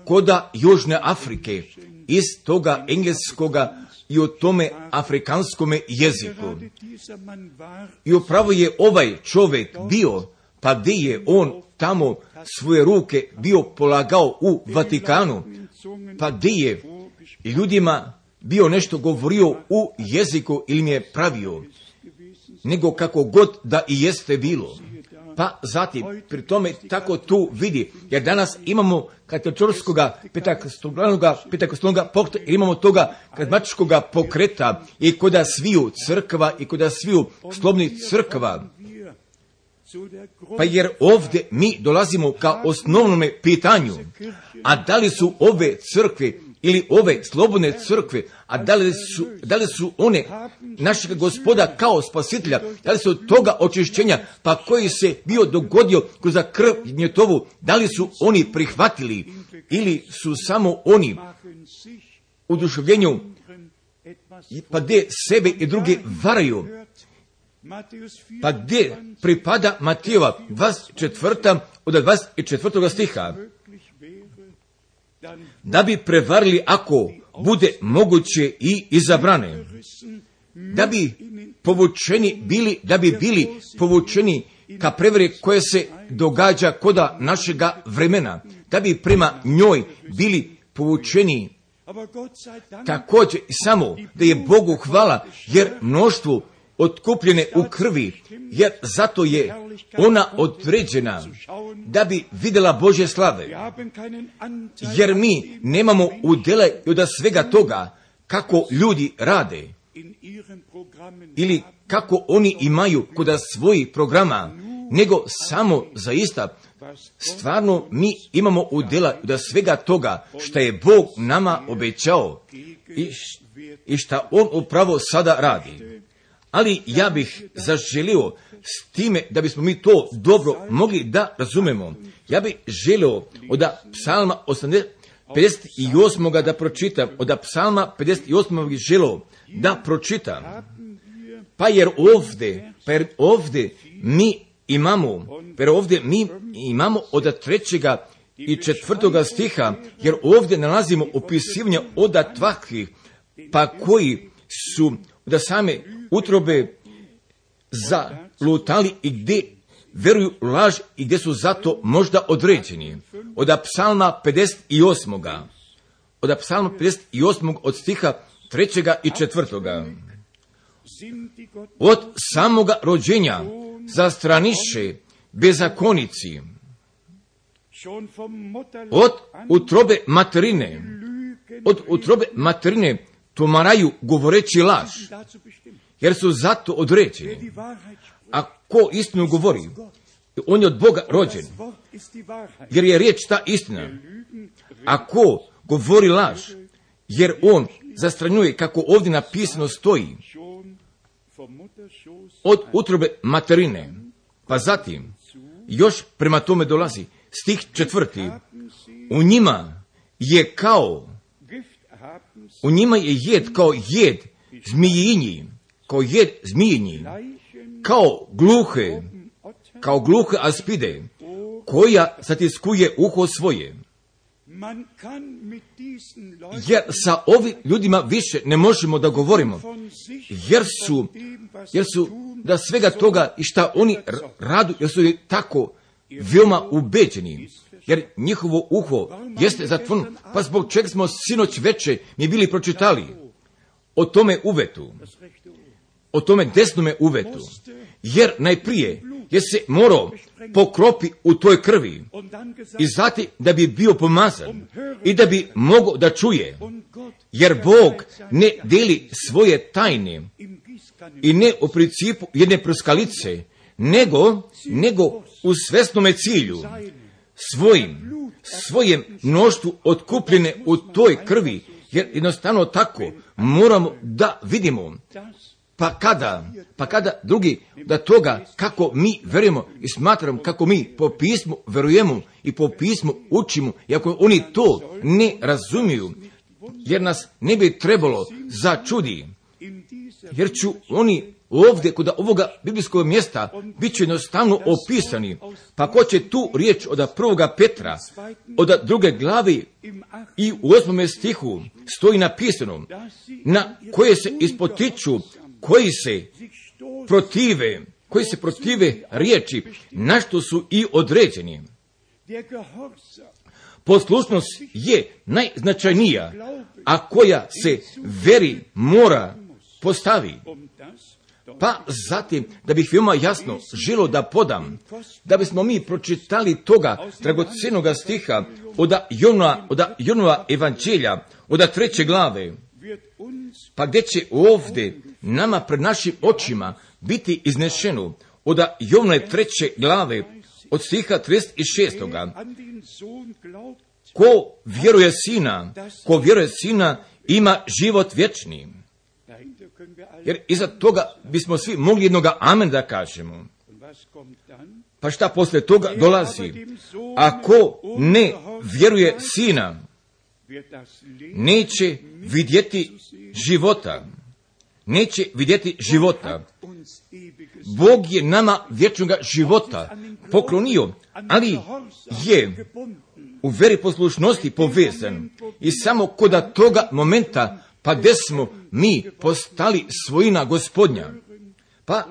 koda Južne Afrike, iz toga engleskoga i o tome afrikanskome jeziku. I upravo je ovaj čovjek bio, pa gdje je on tamo svoje ruke bio polagao u Vatikanu, pa gdje je ljudima bio nešto govorio u jeziku ili mi je pravio, nego kako god da i jeste bilo. Pa zatim, pri tome tako tu vidi, jer danas imamo katoličkoga petakostolnoga pokreta, imamo toga karizmatičkoga pokreta i koda sviju crkva i koda sviju slobodnih crkva. Pa jer ovdje mi dolazimo ka osnovnome pitanju, a da li su ove crkve ili ove slobodne crkve, a da li su one našega Gospoda kao spasitelja, da li su od toga očišćenja, pa koji se bio dogodio kroz krv njetovu, da li su oni prihvatili ili su samo oni u duševljenju, pa gdje sebe i druge varaju, pa gdje pripada Matijeva 24. od 24. stiha, da bi prevarili ako bude moguće i izabrane, da bi bili povučeni ka prevari koje se događa koda našega vremena, da bi prema njoj bili povučeni. Također samo da je Bogu hvala, jer mnoštvo otkupljene u krvi, jer zato je ona određena da bi vidjela Božje slave. Jer mi nemamo udjela od svega toga kako ljudi rade ili kako oni imaju kod svojih programa, nego samo zaista stvarno mi imamo udjela od svega toga što je Bog nama obećao i što On upravo sada radi. Ali ja bih zaželio s time da bismo mi to dobro mogli da razumemo. Ja bih želio od psalma 58. da pročitam, od psalma 58. bih želio da pročitam. Pa jer ovdje mi imamo od 3. i 4. stiha, jer ovdje nalazimo opisivanje od takvih, pa koji su da same utrobe zalutali i gdje veruju laž i gdje su zato možda određeni. Od psalma 58. Od stiha 3. i 4. Od samoga rođenja zastraniše bezakonici, od utrobe materine tumaraju govoreći laž, jer su zato određeni. A ko istinu govori, on je od Boga rođen, jer je riječ ta istina. A ko govori laž, jer on zastranjuje, kako ovdje napisano stoji, od utrobe materine. Pa zatim, još prema tome dolazi stih 4. U njima je jed kao jed zmijinji, kao gluhe aspide, koja zatiskuje uho svoje. Jer sa ovim ljudima više ne možemo da govorimo, jer su da svega toga i šta oni radu, jer su tako veoma ubeđeni, jer njihovo uho jeste zatvoreno. Pa zbog čega smo sinoć veče mi bili pročitali o tome uvetu, o tome desnome uvetu, jer najprije je se morao pokropi u toj krvi i zatim da bi bio pomazan i da bi mogao da čuje, jer Bog ne deli svoje tajne i ne u principu jedne prskalice, nego u svesnome cilju svojem mnoštvu otkupljene u toj krvi, jer jednostavno tako moramo da vidimo. Pa kada drugi da toga kako mi verujemo i smatramo, kako mi po pismu verujemo i po pismu učimo, i ako oni to ne razumiju, jer nas ne bi trebalo začudi, jer ću oni ovdje kod ovoga biblijskog mjesta bit će jednostavno opisani. Pa ko će tu riječ od 1. Petra, od 2. glavi i u 8. stihu stoji napisano, na koje se ispotiču, koji se protive riječi, na što su i određeni. Poslušnost je najznačajnija, a koja se veri mora postavi. Pa zatim, da bih veoma jasno želio da podam, da bismo mi pročitali toga dragocjenoga stiha od Jonova evanđelja, od 3. glave, pa gdje će ovdje nama pred našim očima biti iznešeno od Jovne 3. glave, od stiha 36. Ko vjeruje Sina, ima život vječni. Jer iza toga bismo svi mogli jednoga amen da kažemo. Pa šta poslije toga dolazi? Ako ne vjeruje Sina, neće vidjeti života. Neće vidjeti života. Bog je nama vječnog života poklonio, ali je u veri poslušnosti povezan. I samo kod toga momenta, pa gdje smo mi postali svojina Gospodnja, pa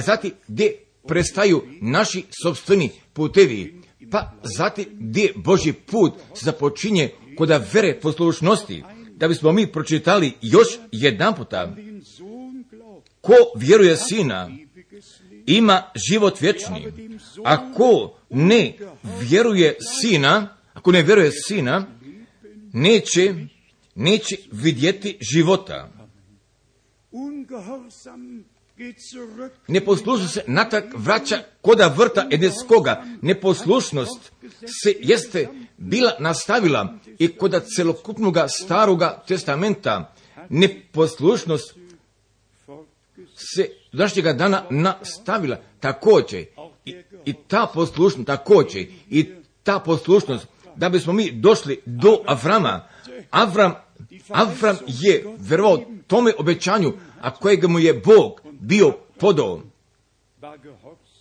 zatim gdje prestaju naši sopstveni putevi, pa zatim gdje Božji put započinje kod vere poslušnosti, da bismo mi pročitali još jedan puta. Ko vjeruje Sina, ima život vječni. Ako ne vjeruje Sina, neće vidjeti života. Neposlušnost se natrag vraća koda vrta Edenskoga. Neposlušnost se jeste bila nastavila i koda celokupnog Staroga testamenta. Neposlušnost se do današnjega dana nastavila također. I ta poslušnost, da bismo mi došli do Avrama. Avram je vjerovao tome obećanju, a kojeg mu je Bog bio podao.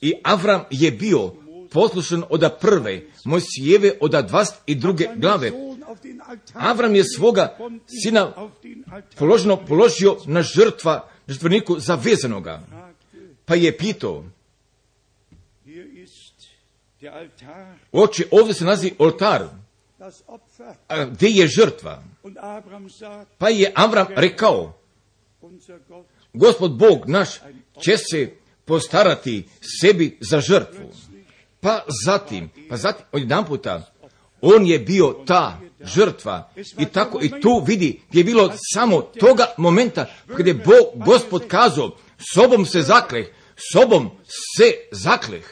I Avram je bio poslušan od prve Mojsijeve od 22. glave. Avram je svoga sina položio na žrtveniku zavezanoga. Pa je pitao: Oče, ovdje se nalazi oltar, a gdje je žrtva? Pa je Avram rekao: Gospod Bog naš će se postarati sebi za žrtvu. Pa zatim odjedan puta on je bio ta žrtva. I tako i tu vidi gdje je bilo samo toga momenta kada je Gospod kazao: sobom se zakleh.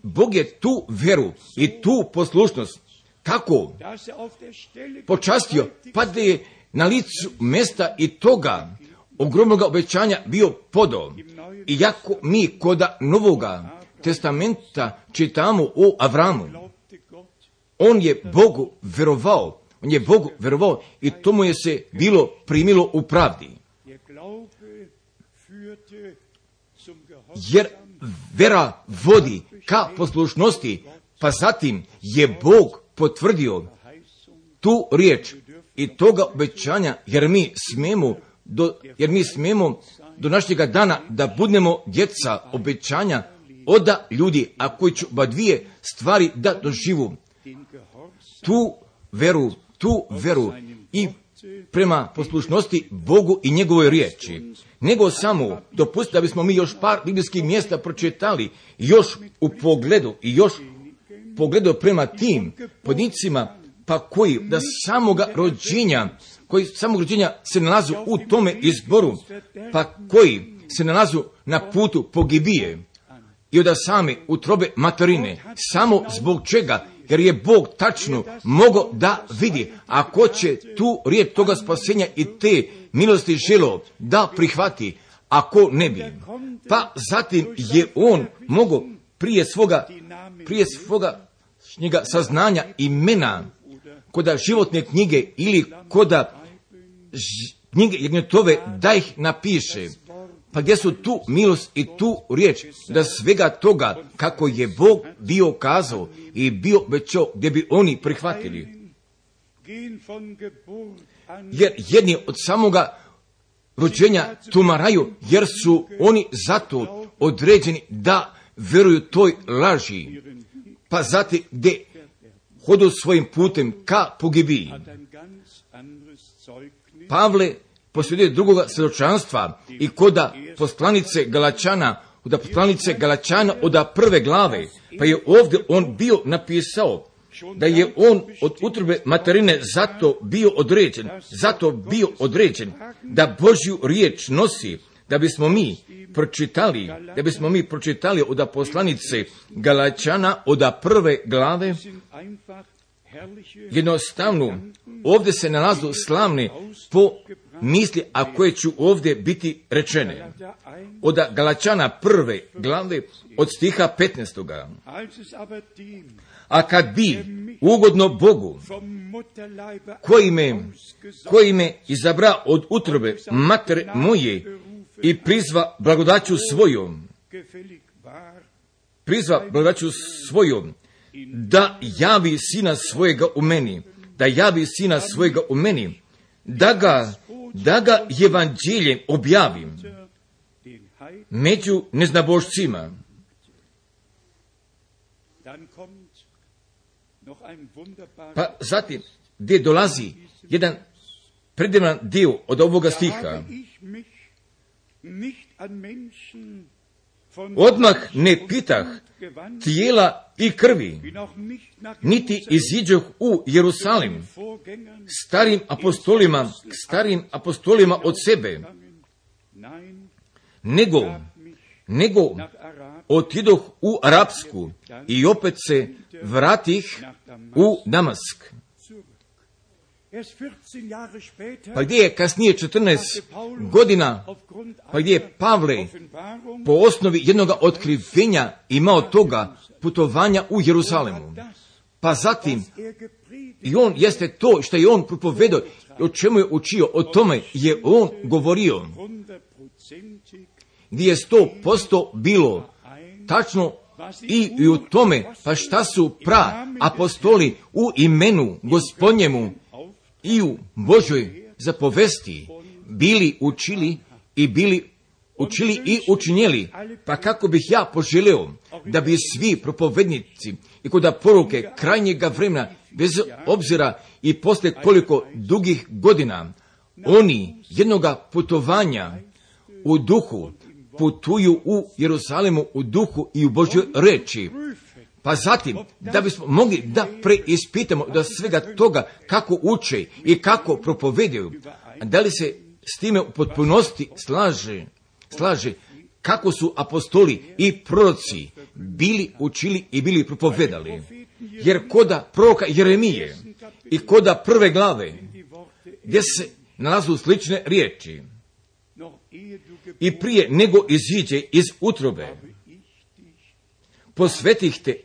Bog je tu vjeru i tu poslušnost tako počastio, pa da je na licu mjesta i toga ogromnog obećanja bio podao. Iako mi koda Novoga testamenta čitamo o Avramu, on je Bogu vjerovao i to mu je se bilo primilo u pravdi. Jer vera vodi ka poslušnosti, pa zatim je Bog potvrdio tu riječ i toga obećanja, jer mi smemo do našega dana da budemo djeca obećanja od ljudi, a koji će dvije stvari da doživu. Tu veru i prema poslušnosti Bogu i njegovoj riječi. Nego samo dopustiti da bismo mi još par biblijskih mjesta pročitali još u pogledu prema tim podnicima, pa koji da samog rođenja se nalazu u tome izboru, pa koji se nalazu na putu pogibije i od same utrobe materine. Samo zbog čega? Jer je Bog tačno mogao da vidi, ako će tu riječ toga spasenja i te milosti želo da prihvati, ako ne bi. Pa zatim je on mogao prije svoga saznanja imena koda životne knjige ili koda knjige Jagnjetove da ih napiše. Pa gdje su tu milost i tu riječ, da svega toga kako je Bog bio kazao i bio obećao, gdje bi oni prihvatili. Jer jedni od samoga rođenja tumaraju, jer su oni zato određeni da vjeruju toj laži, pa zatim gdje hodu svojim putem ka pogibiji. Pavle posvjeduje drugoga svjedočanstva i koda poslanice Galačana od prve glave, pa je ovdje on bio napisao da je on od utrobe materine zato bio određen da Božju riječ nosi, da bismo mi pročitali od poslanice Galačana od 1. glave. Jednostavno, ovdje se nalazu slavne po misli, a koje ću ovdje biti rečene. Od Galačana 1. glave od stiha 15. A kad bi ugodno Bogu, koji me izabra od utrobe matere moje i prizva blagodaću svojom, da javi sina svojega u meni, da ga evanđeljem objavim među neznabošcima. Pa zatim, gdje dolazi jedan predivan dio od ovoga stiha. Odmah ne pitah tijela i krvi, niti iziđoh u Jerusalim starim apostolima od sebe, nego otidoh u Arapsku i opet se vratih u Damask. Pa gdje je kasnije 14 godina, pa gdje je Pavle po osnovi jednog otkrivenja imao toga putovanja u Jerusalimu. Pa zatim, i on jeste to što je on propovedao, o čemu je učio, o tome je on govorio, gdje je 100% bilo tačno i u tome, pa šta su apostoli u imenu Gospodnjemu i u Božoj zapovesti bili učili i učinjeli. Pa kako bih ja poželio da bi svi propovednici i kod poruke krajnjega vremena, bez obzira i posle koliko dugih godina, oni jednoga putovanja u duhu putuju u Jerusalimu u duhu i u Božjoj reči. Pa zatim, da bismo mogli da preispitamo da svega toga kako uče i kako propovedaju, da li se s time u potpunosti slaže kako su apostoli i proroci bili učili i bili propovedali. Jer koda proroka Jeremije i koda 1. glave, gdje se nalazu slične riječi, i prije nego iziđe iz utrobe,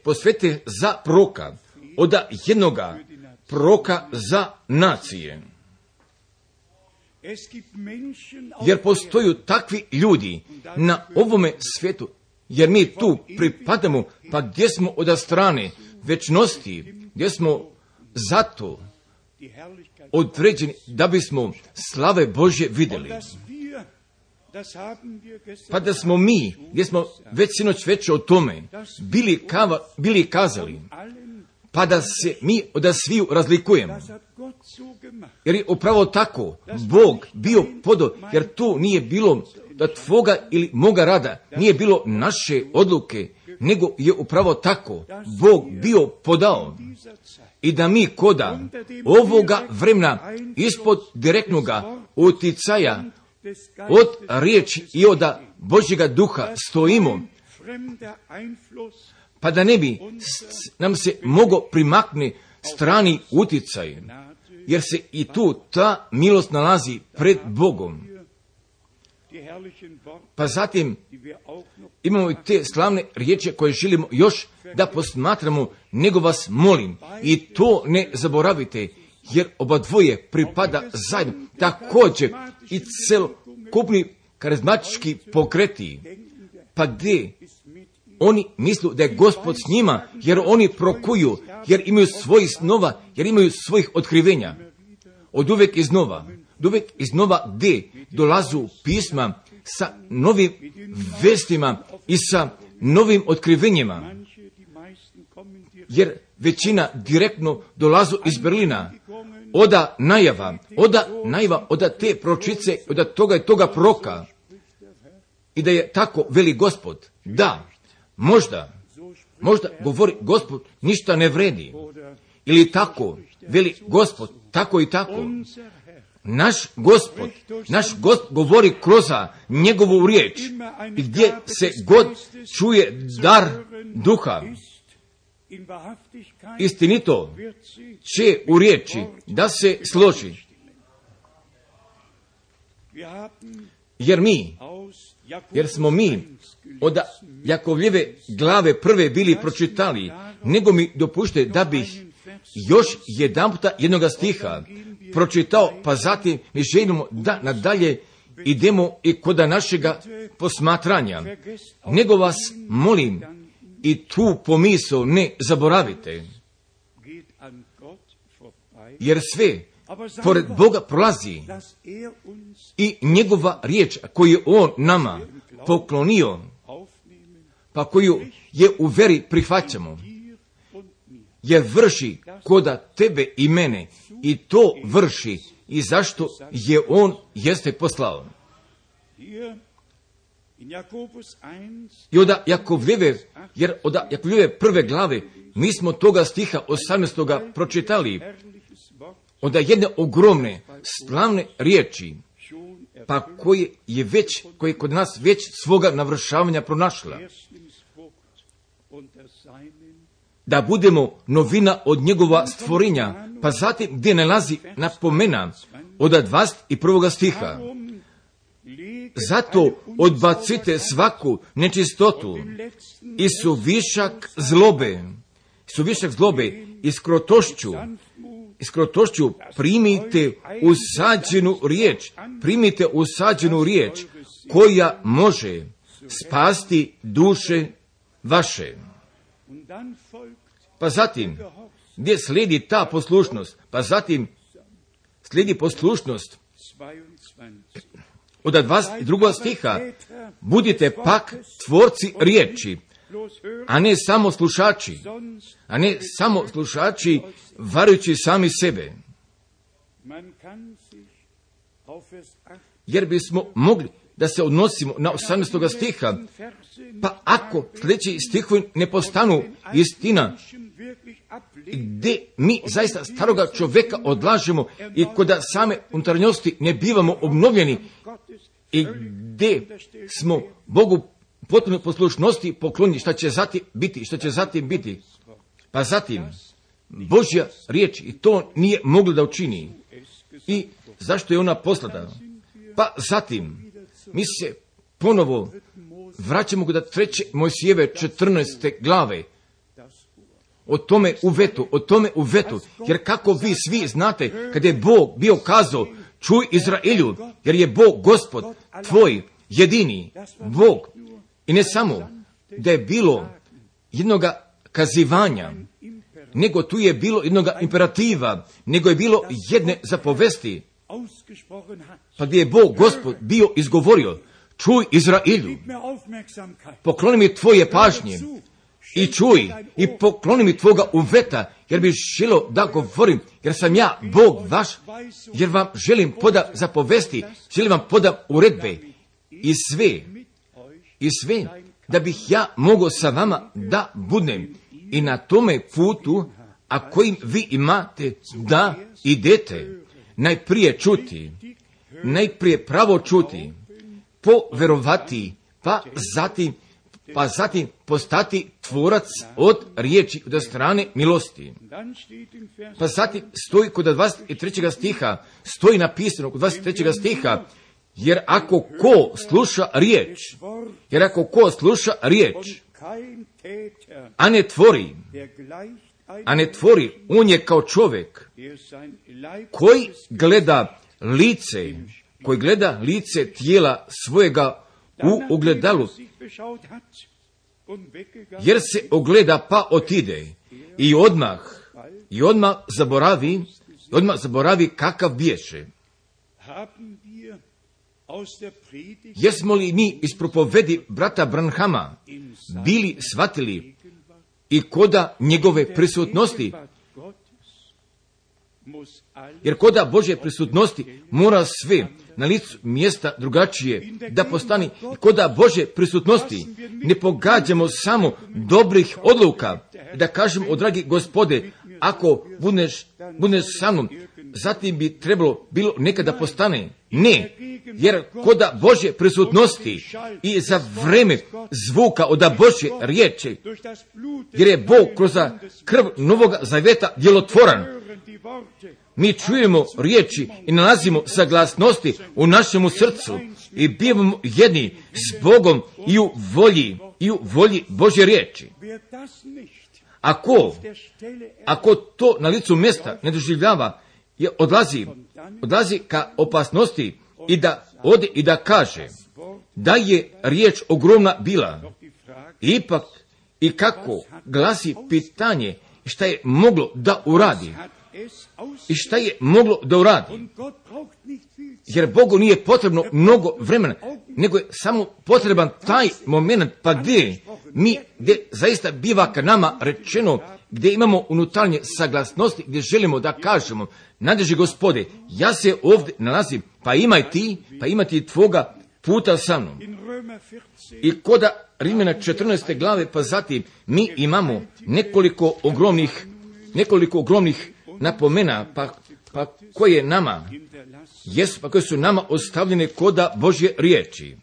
posvetih za proroka, od jednoga proroka za nacije. Jer postoju takvi ljudi na ovome svijetu, jer mi tu pripadamo, pa gdje smo od strane večnosti, gdje smo zato određeni da bismo slave Božje vidjeli. Pa da smo mi, gdje smo već sinoć već o tome bili kazali, pa da se mi od sviju razlikujemo. Jer je upravo tako Bog bio podao, jer tu nije bilo da tvoga ili moga rada, nije bilo naše odluke, nego je upravo tako Bog bio podao. I da mi koda ovoga vremena ispod direktnoga uticaja od riječi i od Božjega duha stojimo, pa da ne bi nam se mogo primakne strani uticaj, jer se i tu ta milost nalazi pred Bogom. Pa zatim imamo i te slavne riječi koje želimo još da posmatramo, nego vas molim, i to ne zaboravite, jer oba dvoje pripada zajedno. Također i celokupni karizmatički pokreti, pa gdje oni misle da je Gospod s njima, jer oni prokuju, jer imaju svojih snova, jer imaju svojih otkrivenja. Od uvijek iznova gdje dolazu pisma sa novim vestima i sa novim otkrivenjima, jer većina direktno dolazu iz Berlina, oda najava, od te pročice, od toga i toga proroka, i da je tako veli Gospod. Da, možda Možda govori Gospod ništa ne vredi. Ili tako, veli Gospod, tako i tako. Naš Gospod govori kroz njegovu riječ. I gdje se god čuje dar duha, istinito će u riječi da se složi. Jer smo mi od Jakovljeve glave prve bili pročitali, nego mi dopušte da bih još jedanputa jednoga stiha pročitao, pa zatim mi želimo da nadalje idemo i kod našega posmatranja. Nego vas molim, i tu pomisao ne zaboravite, jer sve pored Boga prolazi i njegova riječ koju je on nama poklonio, pa koju je u veri prihvaćamo, je vrši koda tebe i mene, i to vrši i zašto je on jeste poslao. I od Jakovljeve prve glave mi smo toga stiha 18. pročitali, od jedne ogromne, slavne riječi, pa koje je kod nas već svoga navršavanja pronašla. Da budemo novina od njegova stvorenja, pa zatim gdje nalazi napomena od 21. stiha. Zato odbacite svaku nečistotu i suvišak zlobe i skrotošću primite usađenu riječ koja može spasti duše vaše. Pa zatim, gdje slijedi ta poslušnost? Pa zatim slijedi poslušnost od 22. stiha. Budite pak tvorci riječi, a ne samo slušači, varujući sami sebe. Jer bismo mogli da se odnosimo na 18. stiha, pa ako sljedeći stihovi ne postanu istina, gdje mi zaista staroga čovjeka odlažemo i kod same unutarnjosti ne bivamo obnovljeni, i gdje smo Bogu potpuno poslušnosti poklonjeni, šta će zatim biti. Pa zatim, Božja riječ i to nije moglo da učini. I zašto je ona poslata? Pa zatim, mi se ponovo vraćamo kod 3. Mojsijeve 14. glave. O tome uvetu, jer kako vi svi znate, kad je Bog bio kazao, čuj Izraelju, jer je Bog Gospod tvoj jedini Bog. I ne samo da je bilo jednoga kazivanja, nego tu je bilo jednoga imperativa, nego je bilo jedne zapovesti, pa gdje je Bog Gospod bio izgovorio, čuj Izraelju, pokloni mi tvoje pažnje i čuj i pokloni mi tvoga uveta, jer bi želio da govorim, jer sam ja Bog vaš, jer vam želim poda zapovesti, želim vam poda uredbe i sve, da bih ja mogao sa vama da budem i na tome putu, a kojim vi imate da idete, najprije pravo čuti, poverovati, pa zatim postati tvorac od riječi od strane milosti. Pa zatim stoji kod 23. stiha, stoji napisano kod 23. stiha, jer ako ko sluša riječ, a ne tvori, on je kao čovjek koji gleda lice tijela svojega u ogledalu, jer se ogleda pa otide i odmah zaboravi kakav biješe. Jesmo li mi iz propovedi brata Branhama bili shvatili i koda njegove prisutnosti? Jer koda Božje prisutnosti mora sve na licu mjesta drugačije, da postani koda Božje prisutnosti. Ne pogađamo samo dobrih odluka, da kažemo, o dragi Gospode, ako budeš sa mnom, zatim bi trebalo bilo nekada postane. Ne, jer koda Božje prisutnosti i za vreme zvuka od Božje riječi, jer je Bog kroz krv Novog Zaveta djelotvoran, mi čujemo riječi i nalazimo saglasnosti u našemu srcu i bivamo jedni s Bogom i u volji Božje riječi. Ako to na licu mjesta ne doživljava, je odlazi ka opasnosti i da ode i da kaže da je riječ ogromna bila. Ipak i kako glasi pitanje šta je moglo da uradi. I šta je moglo da uradi? Jer Bogu nije potrebno mnogo vremena, nego je samo potreban taj moment, pa gdje zaista biva ka nama rečeno, gdje imamo unutarnje saglasnosti, gdje želimo da kažemo, nadleži Gospode, ja se ovdje nalazim, pa imaj ti tvoga puta sa mnom. I koda Rimljana 14. glave, pa zatim mi imamo nekoliko ogromnih napomena, pa koje nama jesu, pa koje su nama ostavljene koda Božje riječi.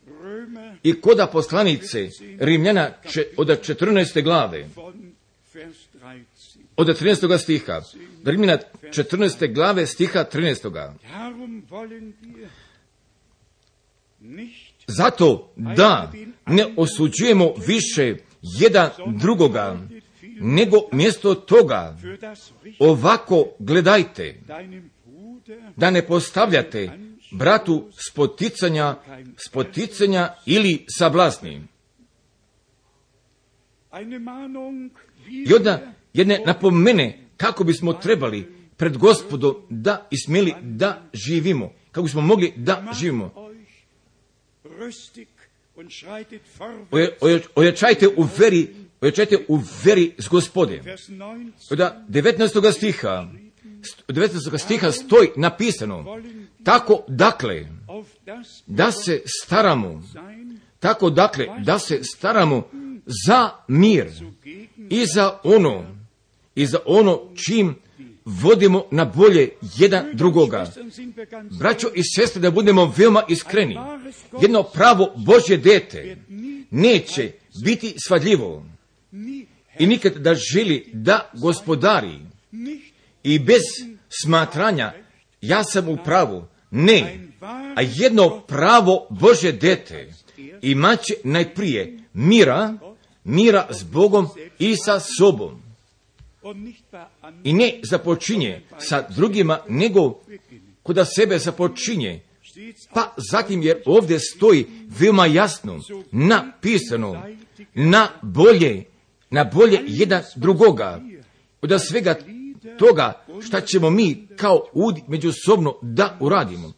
I koda poslanice Rimljana od 14. glave, od 13. stiha, Rimljana 14. glave stiha 13. Zato da ne osuđujemo više jedan drugoga, nego mjesto toga ovako gledajte, da ne postavljate bratu spoticanja ili sablasni. I onda jedne napomene kako bismo trebali pred Gospodom da i smjeli da živimo, kako bismo mogli da živimo. Ojačajte u veri s Gospodem. Od 19. stiha stoji napisano, tako dakle da se staramo za mir i za ono čim vodimo na bolje jedan drugoga. Braćo i sestre, da budemo veoma iskreni, jedno pravo Božje dete neće biti svadljivo i nikad da želi da gospodari i bez smatranja ja sam u pravu. Ne, a jedno pravo Božje dete imaće najprije mira s Bogom i sa sobom. I ne započinje sa drugima, nego kod sebe započinje. Pa zatim, jer ovdje stoji veoma jasno napisano na bolje jedan drugoga. Od svega toga šta ćemo mi kao ljudi međusobno da uradimo.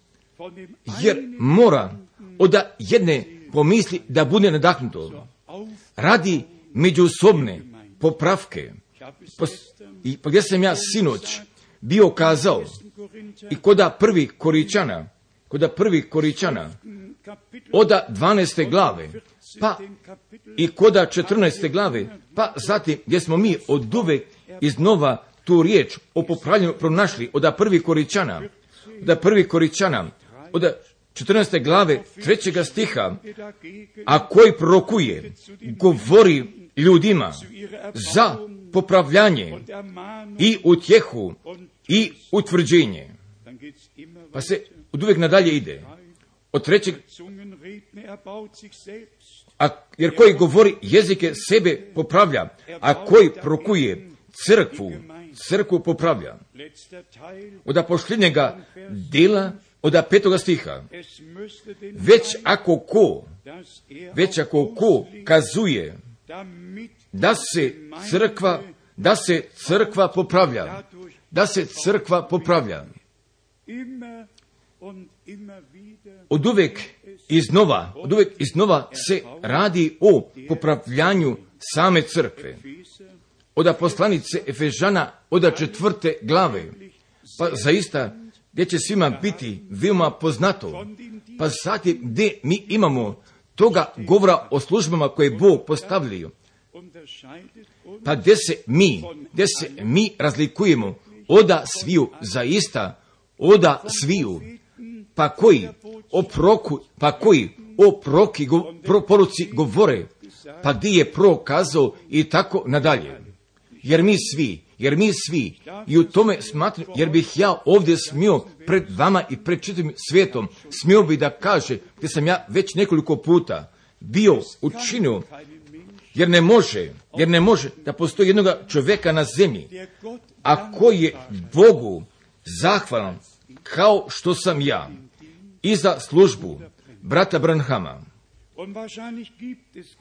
Jer mora od jedne pomisli da bude nadahnuto. Radi međusobne popravke. Pa gdje sam ja sinoć bio kazao i koda prvi Koričana od 12. glave, pa i koda 14. glave, pa zatim gdje smo mi od uvek iznova tu riječ o popravljanju pronašli od prvi Koričana, od 14. glave 3. stiha, a koji prorokuje, govori ljudima za popravljanje i utjehu i utvrđenje. Pa se od uvijek nadalje ide. Od 3. Jer koji govori jezike sebe popravlja, a koji prorokuje crkvu popravlja. Od posljednjega dela, od 5. stiha, već ako ko kazuje da se crkva popravlja. Od uvijek iznova se radi o popravljanju same crkve. Od poslanice Efežana od 4. glave, pa zaista gdje će svima biti veoma poznato, pa zatim gdje mi imamo toga govora o službama koje Bog postavljaju, pa gdje se mi razlikujemo oda sviju, zaista oda sviju, pa koji o poruci govore, pa gdje je prokazao i tako nadalje. Jer mi svi, i u tome smatram, jer bih ja ovdje smio pred vama i pred čitavim svijetom, smio bi da kaže, gdje sam ja već nekoliko puta bio učinio, jer ne može da postoji jednoga čovjeka na zemlji, a koji je Bogu zahvalan, kao što sam ja, i za službu brata Branhama.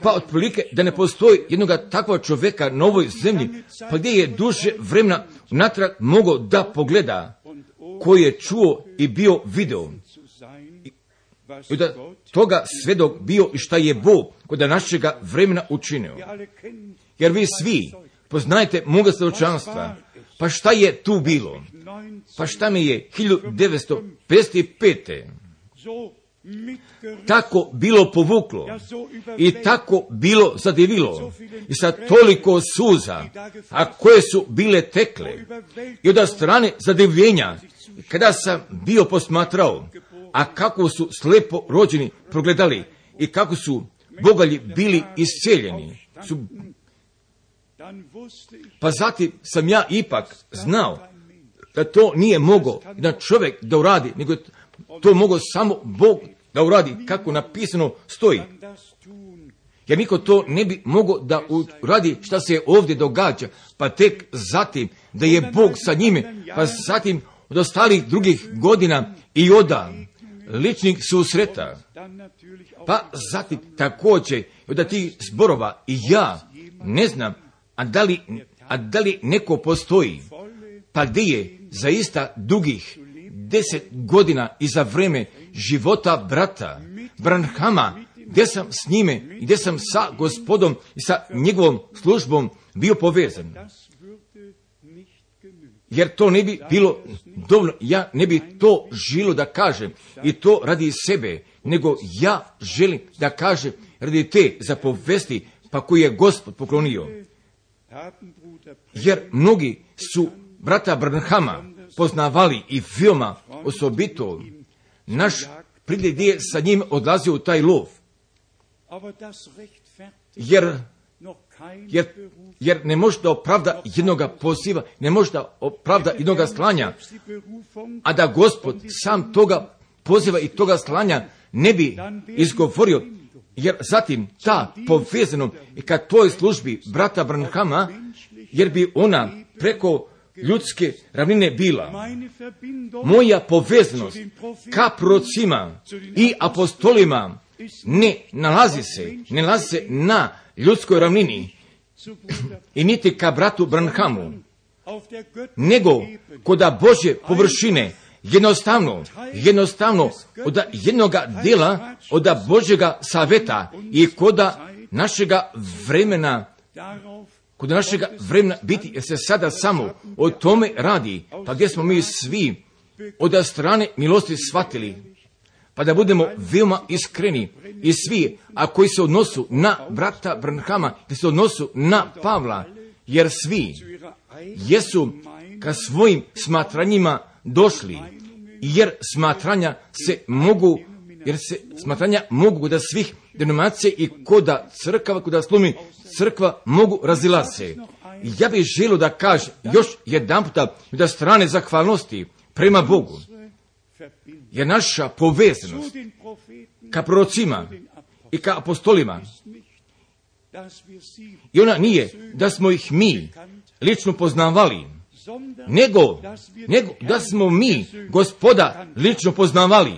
Pa otprilike da ne postoji jednoga takvog čovjeka na ovoj zemlji, pa gdje je duže vremena natrag mogao da pogleda, koji je čuo i bio video. I da toga svedok bio i šta je Bog kod našega vremena učinio. Jer vi svi poznajete moga svjedočanstva. Pa šta je tu bilo? Pa šta mi je 1955. tako bilo povuklo i tako bilo zadivilo i sa toliko suza, a koje su bile tekle, i od strane zadivljenja, kada sam bio posmatrao, a kako su slepo rođeni progledali i kako su bogalji bili iscijeljeni, pa zatim sam ja ipak znao da to nije mogao da čovjek da uradi, nego to mogao samo Bog da uradi, kako napisano stoji. Jer niko to ne bi mogao da uradi šta se ovdje događa, pa tek zatim da je Bog sa njime, pa zatim od ostalih drugih godina i oda ličnih susreta, pa zatim također od tih zborova i ja ne znam, a da li neko postoji, pa gdje je zaista dugih 10 godina iza vreme života brata Branhama, gdje sam s njime i gdje sam sa Gospodom i sa njegovom službom bio povezan. Jer to ne bi bilo dovoljno, ja ne bi to želio da kažem i to radi sebe, nego ja želim da kažem radi te zapovesti, pa koju je Gospod poklonio. Jer mnogi su brata Branhama poznavali i veoma osobito naš priljev je sa njim odlazio u taj lov. Jer ne može da opravda jednoga poziva, ne može da opravda jednoga slanja, a da Gospod sam toga poziva i toga slanja ne bi izgovorio, jer zatim ta povezano i ka toj službi brata Branhama, jer bi ona preko ljudske ravnine bila. Moja povezanost ka prorocima i apostolima ne nalazi se na ljudskoj ravnini i niti ka bratu Branhamu, nego koda Božje površine, jednostavno od jednoga dela, od Božjega saveta i koda našega vremena, biti, jer se sada samo o tome radi, pa gdje smo mi svi od strane milosti shvatili, pa da budemo veoma iskreni i svi, a koji se odnosu na brata Branhama, koji se odnosu na Pavla, jer svi jesu ka svojim smatranjima došli, jer smatranja mogu da svih denominacija i koda crkava, koda slumi crkva mogu razilase. Ja bih želio da kažem još jedan puta da strane zahvalnosti prema Bogu, jer naša povezanost ka prorocima i ka apostolima, i ona nije da smo ih mi lično poznavali, nego da smo mi Gospoda lično poznavali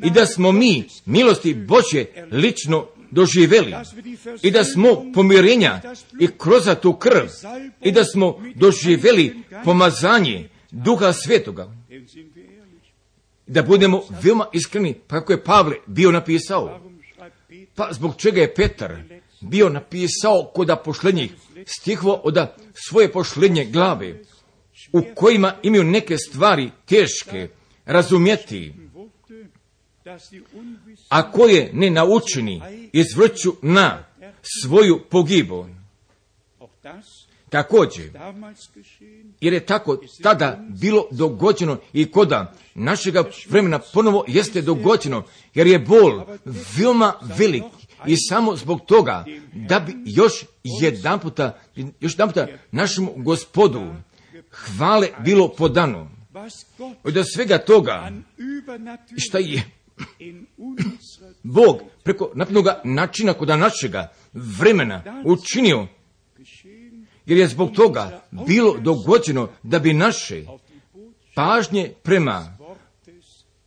i da smo mi milosti Božje lično doživjeli i da smo pomirenja i kroz tu krv i da smo doživjeli pomazanje Duha Svetoga. Da budemo veoma iskreni, pa kako je Pavle bio napisao. Pa zbog čega je Petar bio napisao kod pošlednjih stihova od svoje pošlednje glave u kojima imaju neke stvari teške razumjeti, a koje ne naučeni izvrću na svoju pogibu. Također, jer je tako tada bilo dogođeno i koda našega vremena ponovo jeste dogođeno, jer je bol veoma velik i samo zbog toga da bi još jedan puta našemu Gospodu hvale bilo podano. Od svega toga šta je Bog preko naprednoga načina kod našega vremena učinio, jer je zbog toga bilo dogođeno da bi naše pažnje prema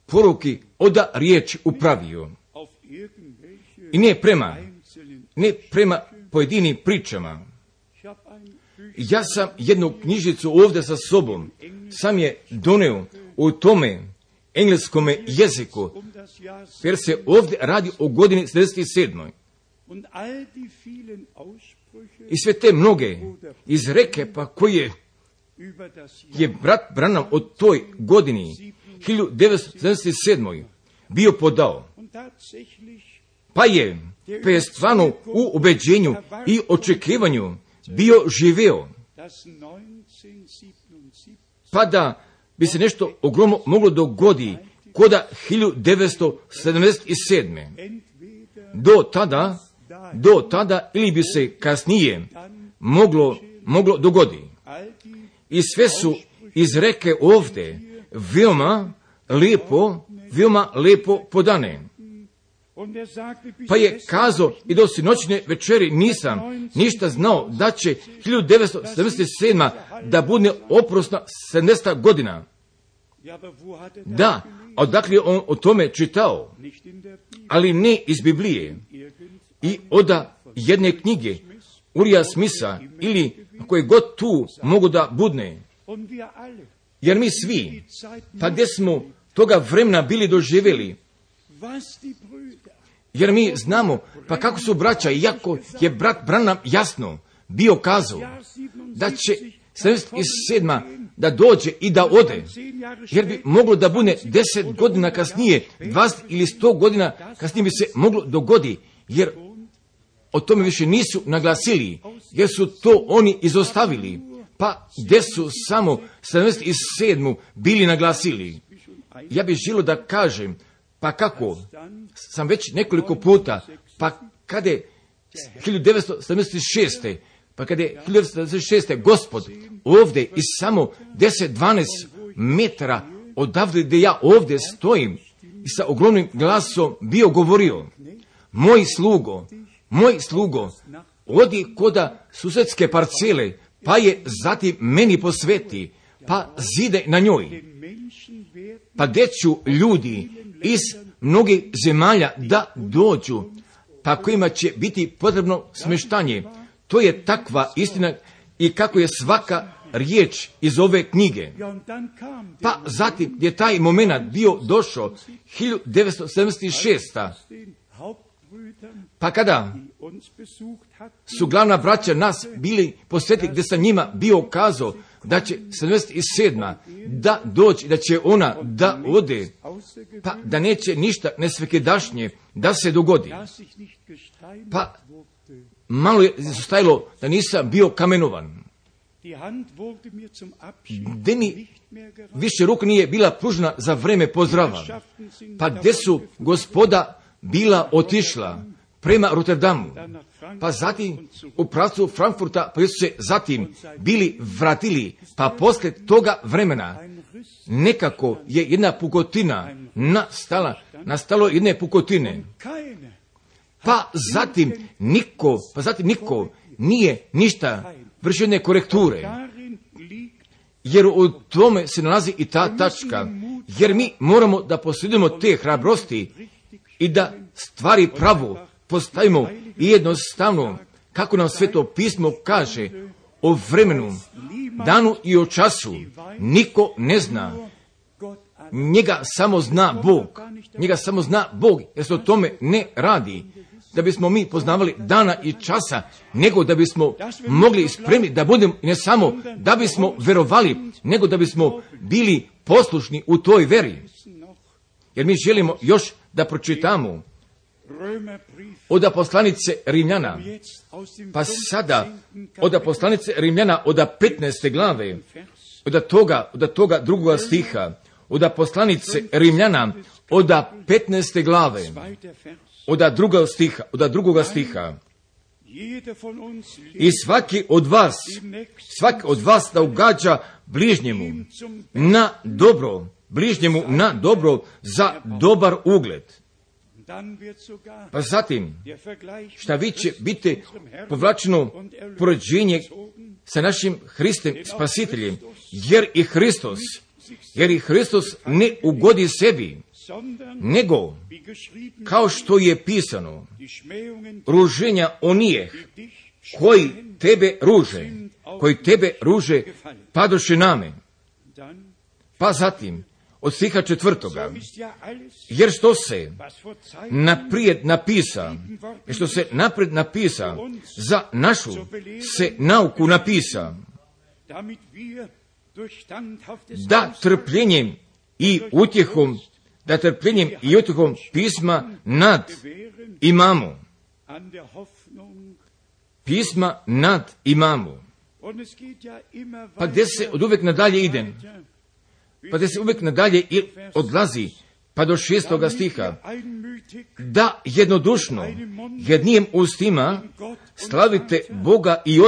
poruki oda riječ upravio i ne prema pojedinim pričama. Ja sam jednu knjižicu ovdje sa sobom, sam je doneo u tome engleskome jeziku, jer se ovdje radi o godini 77. I sve te mnoge izreke pa koje je brat Branham o toj godini 1977. bio podao. Pa je stvarno u ubeđenju i očekivanju bio živeo. Pa da bi se nešto ogromno moglo dogoditi koda 1977. Do tada ili bi se kasnije moglo dogoditi. I sve su izreke ovdje veoma lijepo podane. Pa je kazao i do sinoćne večeri nisam ništa znao da će 1977. da bude oprosna 70. godina. Da, odakle je on o tome čitao, ali ne iz Biblije i od jedne knjige Urija Smitha ili koje god tu mogu da budne. Jer mi svi, pa gdje smo toga vremena bili doživjeli, jer mi znamo, pa kako su braća, iako je brat Branham jasno bio kazao da će 77. da dođe i da ode, jer bi moglo da bude 10 godina kasnije, 20 ili 100 godina kasnije bi se moglo dogoditi, jer o tome više nisu naglasili, jer su to oni izostavili, pa gdje su samo 77. bili naglasili. Ja bih želio da kažem, pa kako, sam već nekoliko puta, pa kada je 1976. Pa kada je 1976. Gospod ovdje i samo 10-12 metara odavde gdje ja ovdje stojim i sa ogromnim glasom bio govorio, moj slugo, odi koda susedske parcele, pa je zatim meni posveti, pa zide na njoj. Pa gdje ću ljudi iz mnogih zemalja da dođu, pa kojima će biti potrebno smještanje. To je takva istina i kako je svaka riječ iz ove knjige. Pa zatim je taj moment bio došao 1976. Pa kada su glavna braća nas bili posjeti gdje sam njima bio kazao da će 77. da doći, da će ona da ode, pa da neće ništa nesvekedašnje da se dogodi. Pa malo je stajalo da nisam bio kamenovan. Gdje mi više ruka nije bila pružena za vreme pozdrava. Pa gdje su gospoda bila otišla prema Rotterdamu, pa zatim u pravcu Frankfurta, pa su se zatim bili vratili, pa poslije toga vremena nekako je jedna pukotina nastalo jedne pukotine. Pa zatim niko nije ništa vršio jedne korekture. Jer u tome se nalazi i ta tačka. Jer mi moramo da posjedujemo te hrabrosti i da stvari pravo postavimo i jednostavno, kako nam Sveto pismo kaže, o vremenu, danu i o času niko ne zna. Njega samo zna Bog, jer se o tome ne radi. da bismo mi poznavali dana i časa, nego da bismo mogli spremni da budemo, ne samo da bismo verovali, nego da bismo bili poslušni u toj veri. Jer mi želimo još da pročitamo od poslanice Rimljana, pa sada od poslanice Rimljana od 15. glave, od toga drugoga stiha, od poslanice Rimljana od 15. glave, od drugoga stiha. I svaki od vas da ugađa bližnjemu na dobro za dobar ugled. Pa zatim, šta vi će biti povlačeno poređenje sa našim Hristom Spasiteljem, jer i Hristos ne ugodi sebi, nego, kao što je pisano, ruženja onijeh koji tebe ruže, padoše name. Pa zatim, od stiha 4. Jer što se naprijed napisa, za našu se nauku napisa, da trpljenjem i utjehom pisma nad imamo. Pa gdje se od uvijek nadalje ide? Pa gdje se uvijek nadalje odlazi, pa do 6. stiha, da jednodušno, jednim ustima slavite Boga i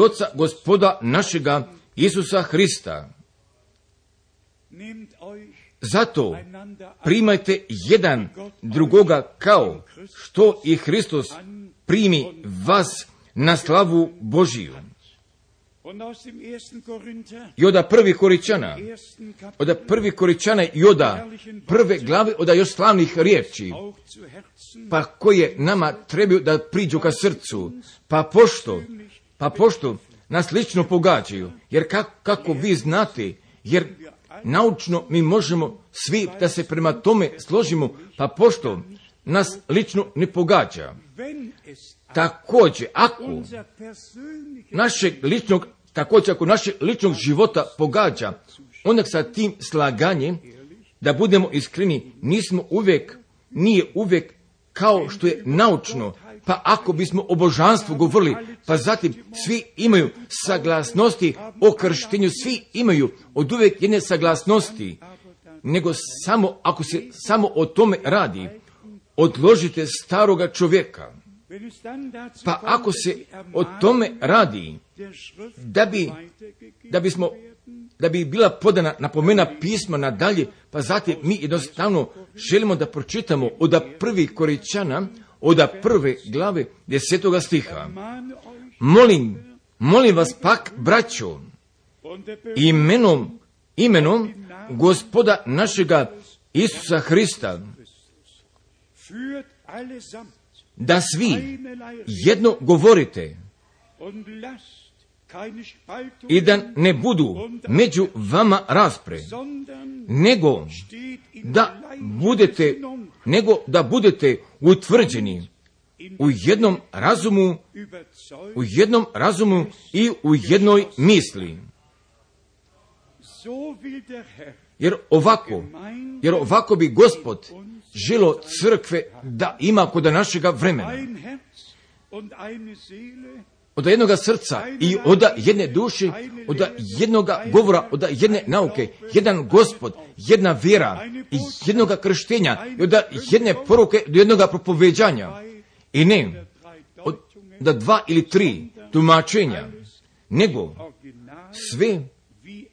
Oca Gospoda našega Isusa Hrista. Zato primajte jedan drugoga kao što i Hristos primi vas na slavu Božiju. I od 1. Koričana i od 1. glave, od još slavnih riječi, pa koje nama trebaju da priđu ka srcu, pa pošto nas lično pogađaju, jer kako vi znate, jer naučno mi možemo svi da se prema tome složimo, pa pošto nas lično ne pogađa. Također, ako našeg ličnog života pogađa, onda sa tim slaganjem, da budemo iskreni, nije uvijek kao što je naučno. Pa ako bismo o božanstvu govorili, pa zatim svi imaju saglasnosti o krštenju, svi imaju od uvijek jedne saglasnosti, nego ako se samo o tome radi, odložite staroga čovjeka. Pa ako se o tome radi, da bi bila podana napomena pisma nadalje, pa zatim mi jednostavno želimo da pročitamo od 1. Koričana, od 1. glave 10. stiha. Molim vas pak, braćo, imenom Gospoda našega Isusa Hrista, da svi jedno govorite i da ne budu među vama raspre, nego da budete utvrđeni u jednom razumu i u jednoj misli. Jer ovako bi Gospod želo crkve da ima kod našega vremena. Od jednoga srca i od jedne duše, od jednoga govora, od jedne nauke, jedan Gospod, jedna vjera i jednoga krštenja i od jedne poruke do jednoga propoveđanja. I ne od 2 ili 3 tumačenja, nego sve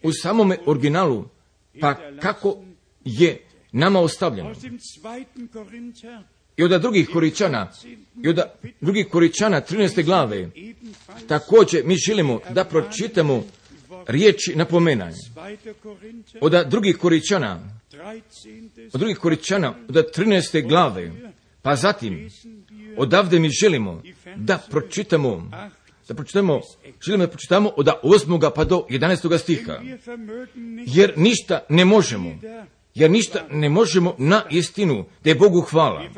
u samome originalu, pa kako je nama ostavljeno. I od 2. Koričana 13. glave također mi želimo da pročitamo riječi napomenanja. Od 2. Koričana od 13. glave, pa zatim odavde mi želimo da pročitamo od 8. pa do 11. stiha. Jer ništa ne možemo, jer ništa ne možemo na istinu, da je Bogu hvala,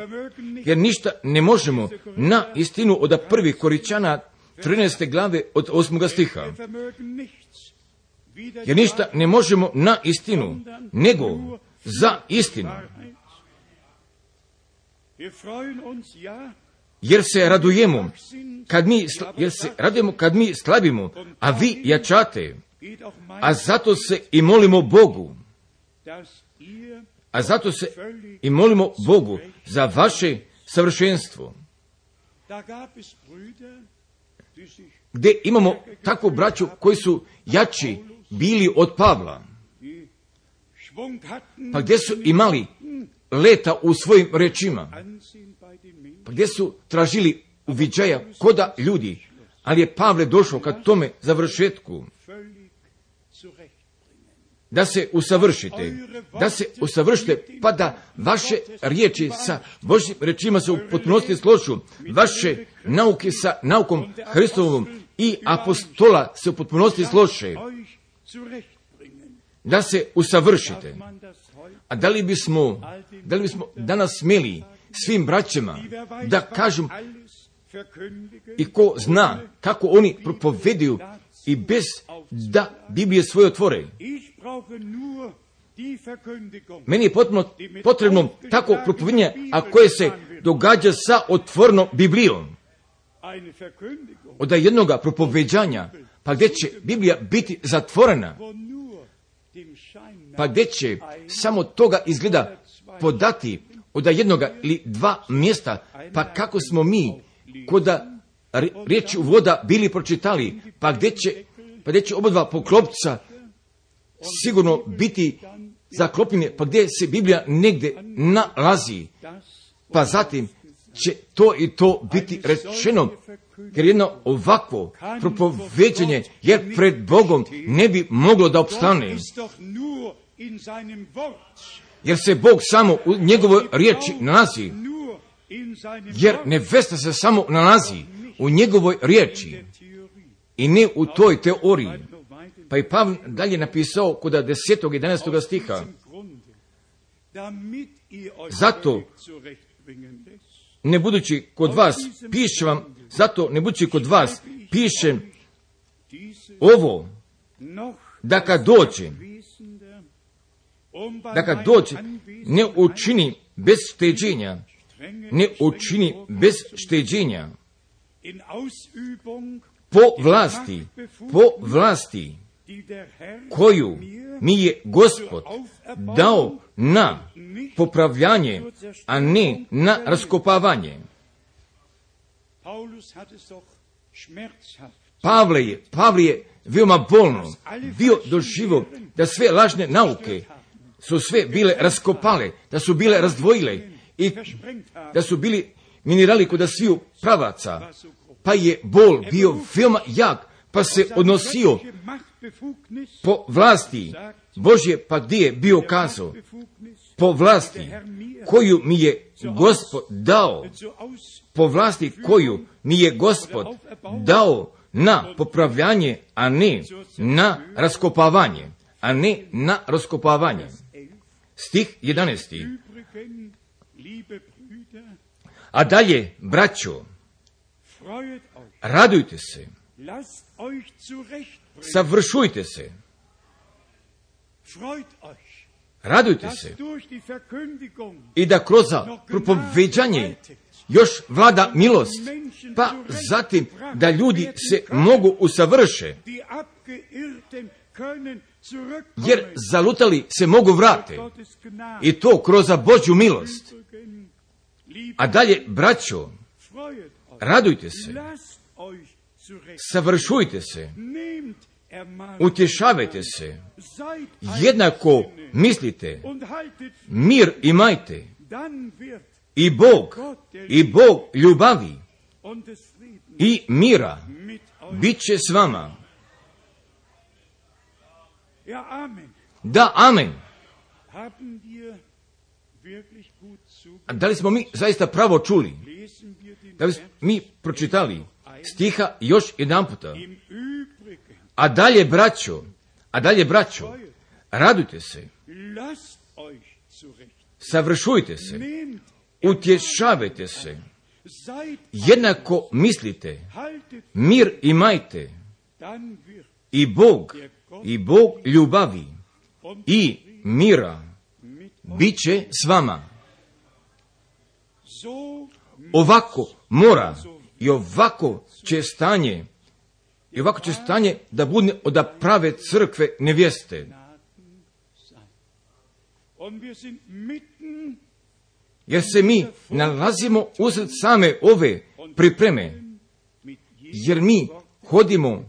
jer ništa ne možemo na istinu od 1. Korinćana 13. glave od 8. stiha. Jer ništa ne možemo na istinu, nego za istinu. Jer se radujemo kad mi slabimo, a vi jačate, a zato se i molimo Bogu, za vaše savršenstvo. Gdje imamo takvu braću koji su jači bili od Pavla, pa gdje su imali leta u svojim rečima, pa gdje su tražili uviđaja koda ljudi, ali je Pavle došao ka tome završetku, da se usavršite, pa da vaše riječi sa Božjim rečima se u potpunosti složu, vaše nauke sa naukom Hristovom i apostola se u potpunosti slože, da se usavršite. A da li bismo danas smjeli svim braćama da kažem i ko zna kako oni propoveduju i bez da Biblije svoje otvore. Meni je potrebno tako propovedanje, a koje se događa sa otvorenom Biblijom. Od jednoga propoveđanja, pa gdje će Biblija biti zatvorena, pa gdje će samo toga izgleda podati od jednoga ili dva mjesta, pa kako smo mi koda riječi u voda bili pročitali, pa gdje će obadva poklopca sigurno biti zaklopljene, pa gdje se Biblija negdje nalazi, pa zatim će to i to biti rečeno, jer jedno ovakvo propoveđenje, jer pred Bogom ne bi moglo da opstane. Jer se Bog samo u njegovoj riječi nalazi, jer nevesta se samo nalazi u njegovoj riječi i ne u toj teoriji. Pa i Pavle dalje napisao kod 10. i 11. stiha. Zato ne budući kod vas, pišem ovo, da kad dođe, ne učini bez šteđenja, po vlasti koju mi je Gospod dao na popravljanje, a ne na raskopavanje. Pavle je veoma bolno bio doživio da sve lažne nauke su sve bile raskopale, da su bile razdvojile i da su bili minerali kod sviju pravaca, pa je bol bio veoma jak, pa se odnosio po vlasti Božje, pa gdje je bio kazao, po vlasti koju mi je Gospod dao, po vlasti koju mi je Gospod dao na popravljanje, a ne na raskopavanje. Stih 11. A dalje, braćo, radujte se, savršujte se, radujte se i da kroz propoveđanje još vlada milost, pa zatim da ljudi se mogu usavrše, jer zalutali se mogu vrate i to kroz Božju milost. A dalje, braćo, radujte se, savršujte se, utješavajte se, jednako mislite, mir imajte, i Bog ljubavi i mira bit će s vama. Da, amen. A da li smo mi zaista pravo čuli? Da li smo mi pročitali stiha još jedan puta? A dalje, braćo, radujte se savršujte se, utješavajte se, jednako mislite, mir imajte, i Bog ljubavi i mira bit će s vama. Ovako mora i ovako će stanje da bude od prave crkve nevjeste. Jer se mi nalazimo usred same ove pripreme, jer mi hodimo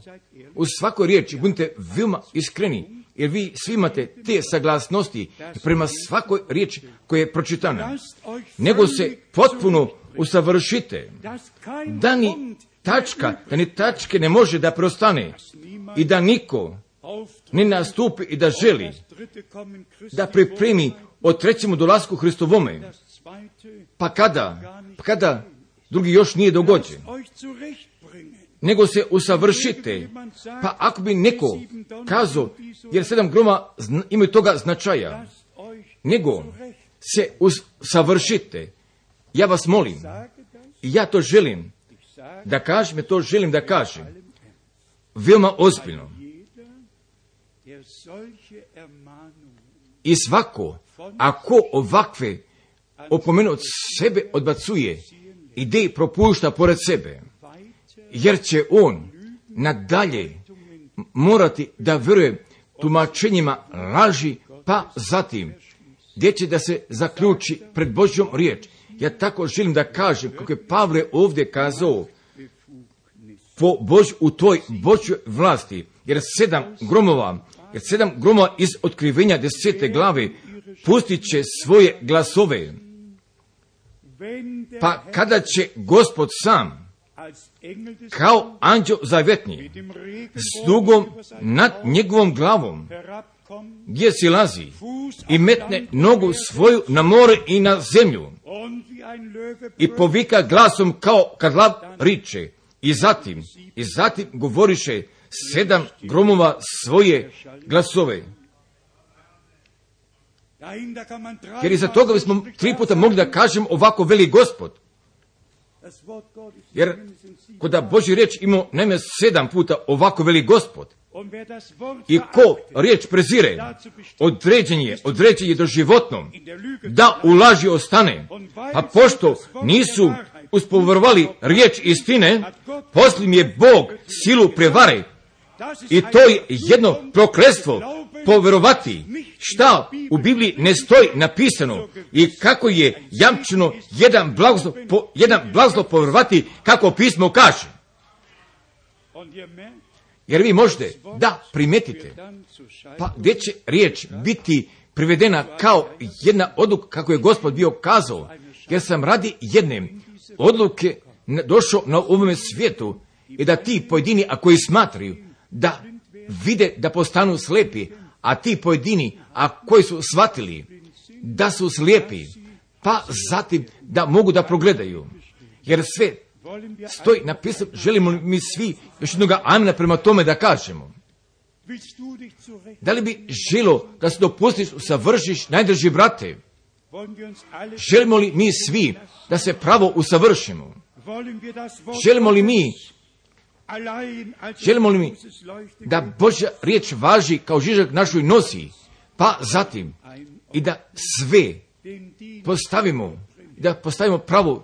u svakoj riječi, budite veoma iskreni, jer vi svi imate te saglasnosti prema svakoj riječi koja je pročitana. Nego se potpuno usavršite, da ni tačke ne može da prostane i da niko ne nastupi i da želi da pripremi o trećemu dolasku Hristovome, pa kada drugi još nije dogođen. Nego se usavršite, pa ako bi neko kazao, jer 7 groma imaju toga značaja, nego se usavršite. Ja vas molim, i ja to želim da kažem, veoma ozbiljno. I svako, ako ovakve opomene od sebe odbacuje, ide i propušta pored sebe, jer će on nadalje morati da vjeruje tumačenjima laži, pa zatim gdje će da se zaključi pred Božjom riječ. Ja tako želim da kažem, kako je Pavle ovdje kazao, u toj Božjoj vlasti, jer 7 gromova iz otkrivenja 10. glave pustit će svoje glasove. Pa kada će Gospod sam, kao anđeo zavjetni, s dugom nad njegovom glavom, gdje silazi i metne nogu svoju na more i na zemlju, i povika glasom kao kad lav riče, i zatim govoriše 7 gromova svoje glasove. Jer iza toga bismo 3 puta mogli da kažem ovako veli Gospod. Jer kod Božji riječ imamo najme 7 puta ovako veli Gospod. I ko riječ prezire, određen je doživotnom, da u laži ostane. A pošto nisu uspoverovali riječ istine, poslije im je Bog silu prevare. I to je jedno prokletstvo poverovati šta u Bibliji ne stoji napisano i kako je jamčeno jedan blagoslov poverovati kako pismo kaže. Jer vi možete da primetite, pa gdje će riječ biti privedena kao jedna odluka kako je Gospod bio kazao, jer sam radi jedne odluke došao na ovome svijetu i da ti pojedini, a koji smatraju da vide da postanu slijepi, a ti pojedini, a koji su shvatili da su slijepi, pa zatim da mogu da progledaju. Jer sve stoji napisano, želimo mi svi još jednoga amena prema tome da kažemo. Da li bi želo da se dopustiš, usavršiš, najdraži brate? Želimo li mi svi da se pravo usavršimo? Želimo li mi da Božja riječ važi kao žižak našoj nosi, pa zatim i da sve postavimo pravu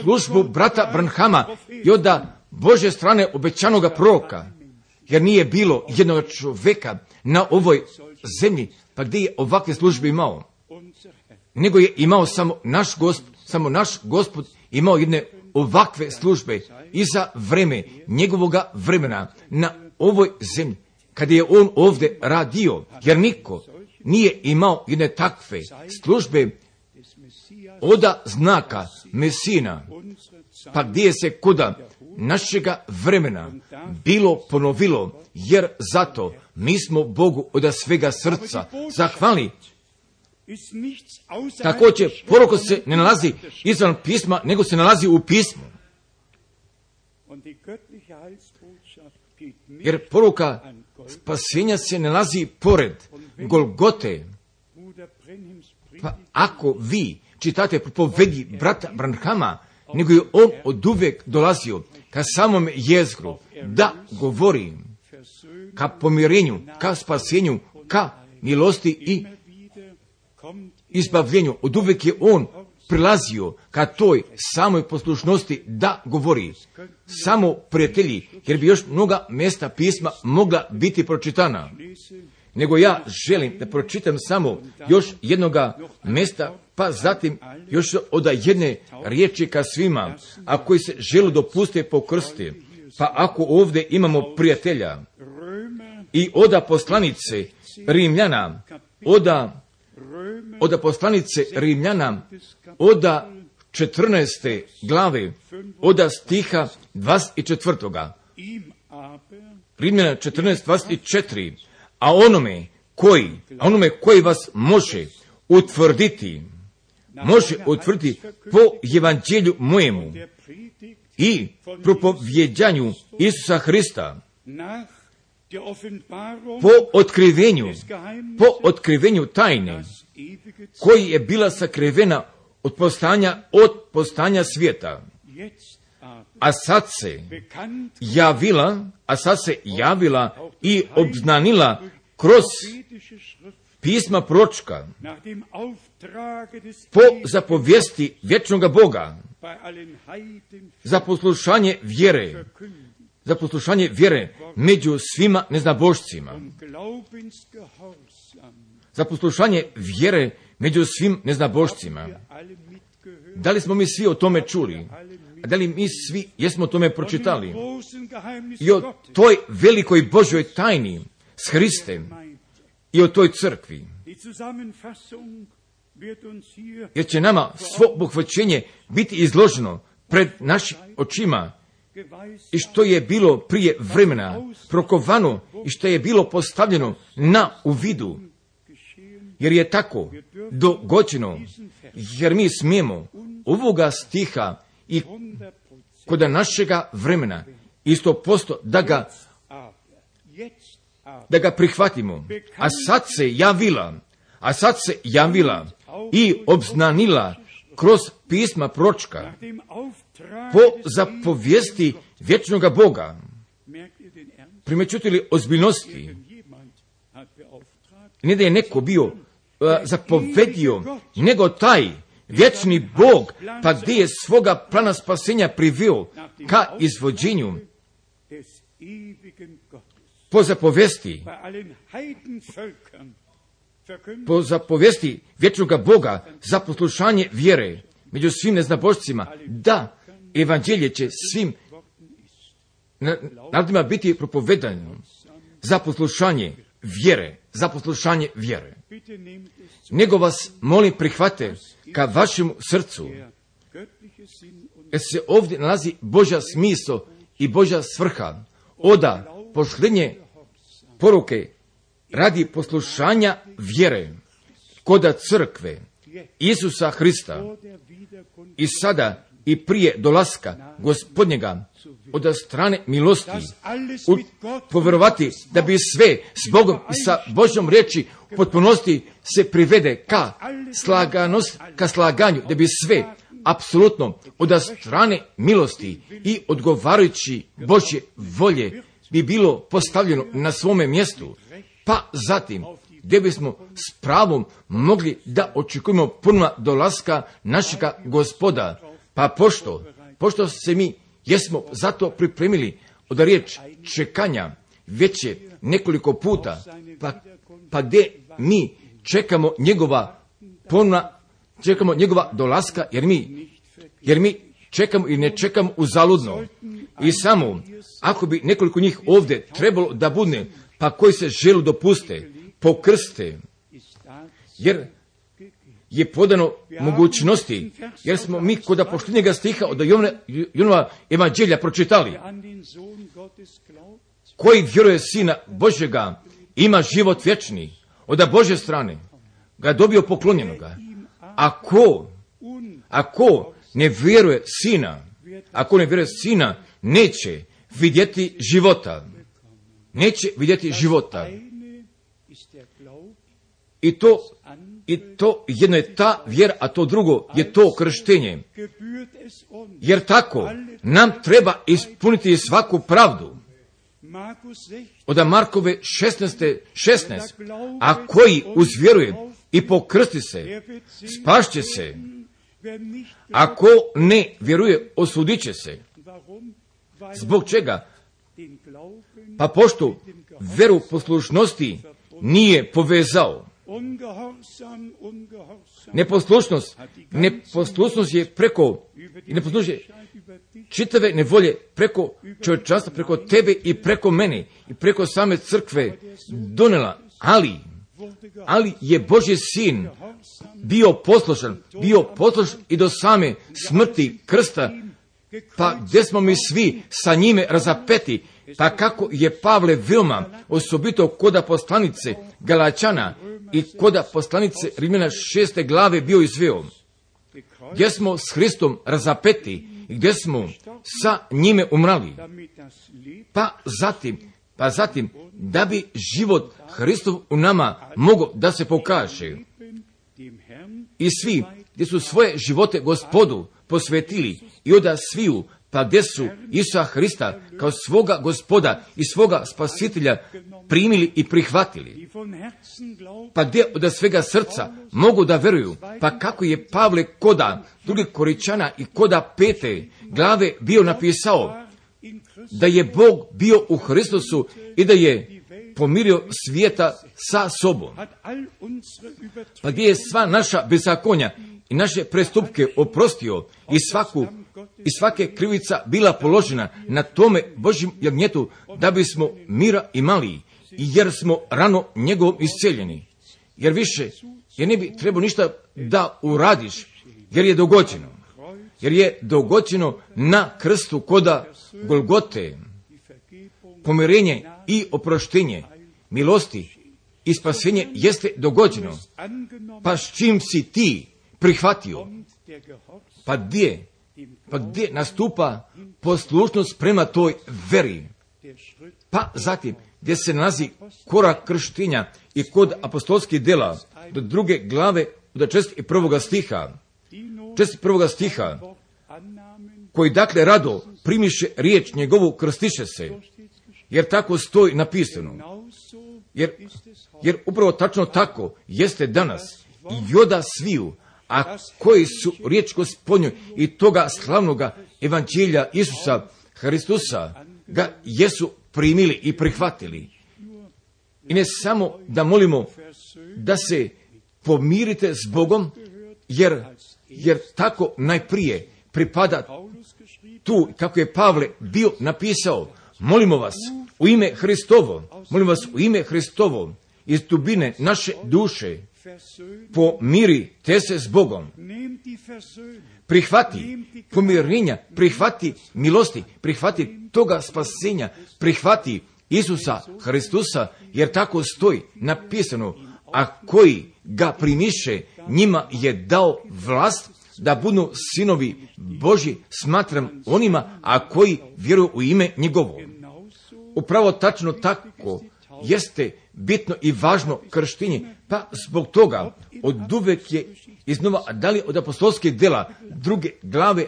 službu brata Branhama i od Božje strane obećanoga proroka, jer nije bilo jednog čovjeka na ovoj zemlji, pa gdje je ovakve službe imao, nego je imao samo naš Gospod imao jedne ovakve službe i za vreme njegovoga vremena na ovoj zemlji, kada je on ovdje radio, jer niko nije imao jedne takve službe oda znaka Mesina, pa gdje se koda našega vremena bilo ponovilo, jer zato mi smo Bogu od svega srca zahvalni. Također, poruka se ne nalazi izvan pisma, nego se nalazi u pismu. Jer poruka spasenja se nalazi pored Golgote, Pa ako vi čitate propovedi brata Branhama, nego je on oduvijek dolazio ka samom jezgru da govori ka pomirenju, ka spasenju, ka milosti i izbavljenju. Oduvijek je on prilazio ka toj samoj poslušnosti da govori. Samo prijatelji, jer bi još mnoga mjesta pisma mogla biti pročitana. Nego ja želim da pročitam samo još jednoga mjesta, pa zatim još od jedne riječi ka svima, a koji se žele dopustiti pokrsti. Pa ako ovdje imamo prijatelja i oda poslanice Rimljana, oda poslanice Rimljana, oda 14. glave, oda stiha 24. Rimljana 14:24. A onome koji vas može utvrditi po evanđelju mojemu i propovjedanju Isusa Hrista, po otkrivenju tajne, koji je bila sakrivena od postanja svijeta, a sad se javila i obznanila kroz pisma proročka, po zapovijesti vječnoga Boga, za poslušanje vjere među svima neznabošcima. Za poslušanje vjere među svim neznabošcima. Da li smo mi svi o tome čuli? Da li mi svi jesmo o tome pročitali? I o toj velikoj Božoj tajni s Hristem i o toj crkvi. Jer će nama svo obuhvaćenje biti izloženo pred našim očima i što je bilo prije vremena prokovano i što je bilo postavljeno na uvidu. Jer je tako dogođeno, jer mi smijemo ovoga stiha i kod našega vremena 100% da ga prihvatimo. A sad se javila i obznanila kroz pisma proročka po zapovijesti vječnoga Boga. Primećujete li ozbiljnosti? Ne da je neko bio zapovedio, nego taj vječni Bog, pa gdje je svoga plana spasenja priveo ka izvođenju po zapovijesti vječnoga Boga za poslušanje vjere među svim neznabošcima, da evanđelje će svim narodima biti propovedano za poslušanje vjere. Nego vas molim prihvate ka vašem srcu, jer se ovdje nalazi Božja smisao i Božja svrha, oda pošljenje poruke radi poslušanja vjere koda crkve Isusa Hrista i sada i prije dolaska Gospodnjega od strane milosti povjerovati da bi sve s Bogom i sa Božjom riječi u potpunosti se privede ka slaganju, da bi sve apsolutno od strane milosti i odgovarajući Božje volje bi bilo postavljeno na svome mjestu, pa zatim gdje bismo s pravom mogli da očekujemo puno dolaska našega Gospoda, pa pošto se mi jesmo zato pripremili od riječ čekanja već je nekoliko puta, pa gdje mi čekamo njegova dolaska, jer mi čekamo i ne čekamo uzaludno. I samo, ako bi nekoliko njih ovdje trebalo da bude, pa koji se žele dopuste, pokrste, jer je podano mogućnosti, jer smo mi kod poštenjega stiha od Jonova evanđelja pročitali. Koji vjeruje Sina Božjega ima život vječni, od Božje strane ga dobio poklonjenoga. Ako ne vjeruje Sina, neće vidjeti života. I to I to jedno je ta vjera, a to drugo je to krštenje. Jer tako nam treba ispuniti svaku pravdu. Od Markove 16. A koji uzvjeruje i pokrsti se, spašće se. Ako ne vjeruje, osudit će se. Zbog čega? Pa pošto veru poslušnosti nije povezao. Neposlušnost je preko, neposlušnost je čitave nevolje preko čovječanstva, preko tebe i preko mene i preko same crkve donela, ali je Božji sin bio poslušan i do same smrti krsta, pa gdje smo mi svi sa njime razapeti, pa kako je Pavle Vilma, osobito koda poslanice Galačana i koda poslanice Rimljana 6. glave bio izveo, gdje smo s Hristom razapeti i gdje smo sa njime umrali, pa zatim da bi život Hristov u nama mogao da se pokaže. I svi gdje su svoje živote Gospodu posvetili i od sviju, pa gdje su Isusa Hrista kao svoga Gospoda i svoga Spasitelja primili i prihvatili, pa gdje od svega srca mogu da veruju, pa kako je Pavle koda 2. Korinčana i koda 5. glave bio napisao da je Bog bio u Hristusu i da je pomirio svijeta sa sobom, pa gdje je sva naša bezakonja i naše prestupke oprostio i svake krivica bila položena na tome Božjem jagnjetu da bismo mira imali, jer smo rano njegovom isceljeni. Jer ne bi trebao ništa da uradiš, jer je dogođeno na krstu koda Golgote, pomirenje i oproštenje, milosti i spasenje jeste dogođeno. Pa s čim si ti prihvatio? Pa gdje nastupa poslušnost prema toj veri? Pa zatim gdje se nalazi korak krštenja i kod apostolskih dela do 2. glave od 41. stiha, koji dakle rado primiše riječ njegovu, krstiše se, jer tako stoji napisano. Jer upravo tačno tako jeste danas i oda sviju, a koji su riječ Gospodnju i toga slavnoga evanđelja Isusa Hristusa ga jesu primili i prihvatili. I ne samo da molimo da se pomirite s Bogom, jer tako najprije pripada tu, kako je Pavle bio napisao, molimo vas u ime Hristovo, iz dubine naše duše, pomirite se s Bogom. Prihvati pomirenja, prihvati milosti, prihvati toga spasenja, prihvati Isusa Hristusa, jer tako stoji napisano, a koji ga primiše, njima je dao vlast da budu sinovi Božji, smatram onima, a koji vjeruju u ime njegovo. Upravo tačno tako jeste bitno i važno krštenje, pa zbog toga od uvek je iznova, a da li od apostolskih dela 2. glave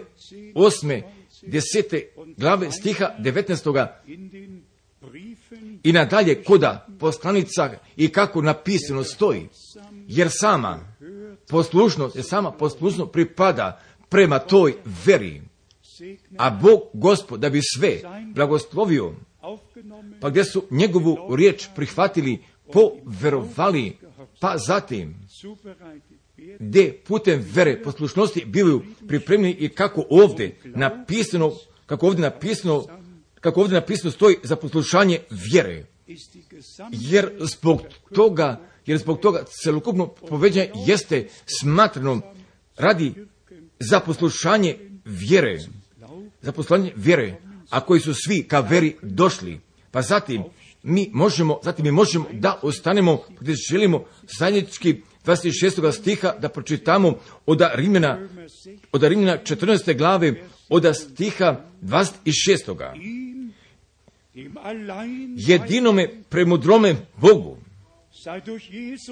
8. 10. glave stiha 19. i nadalje koda poslanica i kako napisano stoji, jer sama poslušnost pripada prema toj veri, a Bog Gospod da bi sve blagoslovio, pa gdje su njegovu riječ prihvatili, poverovali, pa zatim gdje putem vere poslušnosti bivaju pripremljeni i kako ovdje napisano stoji za poslušanje vjere. Jer zbog toga celokupno poveđanje jeste smatrano radi za poslušanje vjere, a koji su svi ka veri došli. Pa zatim mi možemo da ostanemo gdje želimo zajednički 26. stiha da pročitamo od Rimljana 14. glave od stiha 26. Jedinome premudrome Bogu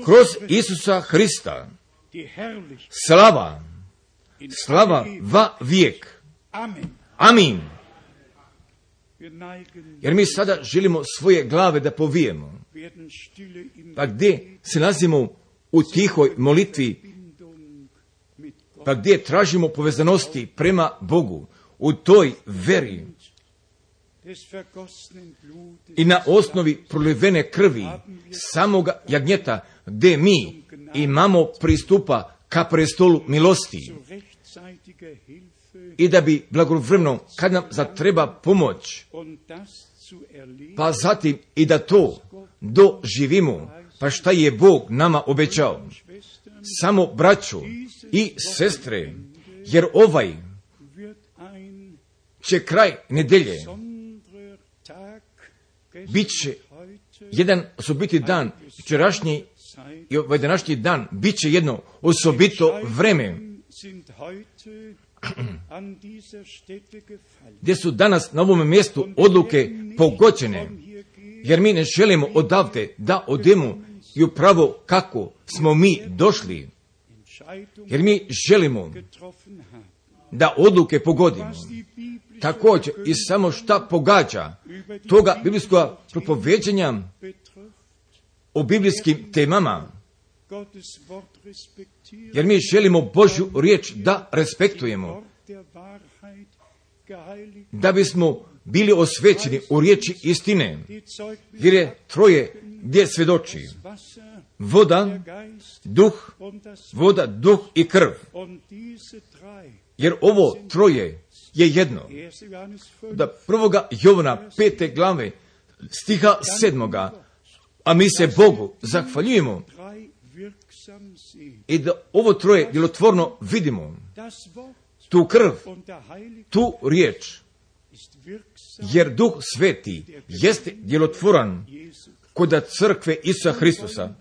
kroz Isusa Hrista, slava va vijek. Amin. Jer mi sada želimo svoje glave da povijemo. Pa gdje se nalazimo u tihoj molitvi, pa gdje tražimo povezanosti prema Bogu, u toj veri i na osnovi prolivene krvi samoga jagnjeta, gdje mi imamo pristupa ka prestolu milosti, i da bi blagovremeno, kad nam zatreba pomoć, pa zatim i da to doživimo, pa šta je Bog nama obećao. Samo braćo i sestre, jer ovaj će kraj nedelje bit će jedan osobiti dan, včerašnji i ovaj današnji dan bit će jedno osobito vreme, gdje su danas na ovom mjestu odluke pogođene, jer mi ne želimo odavde da odemo i upravo kako smo mi došli, jer mi želimo da odluke pogodimo. Također i samo šta pogađa toga biblijskog propoveđenja o biblijskim temama, jer mi želimo Božju riječ da respektujemo, da bismo bili osvećeni u riječi istine, jer je troje gdje svjedoči: voda, duh i krv. Jer ovo troje je jedno. Da 1. Jovana 5. glave stiha 7. A mi se Bogu zahvaljujemo i da ovo troje djelotvorno vidimo. Tu krv, tu riječ, jer Duh Sveti jeste djelotvoran kod crkve Isusa Hristusa.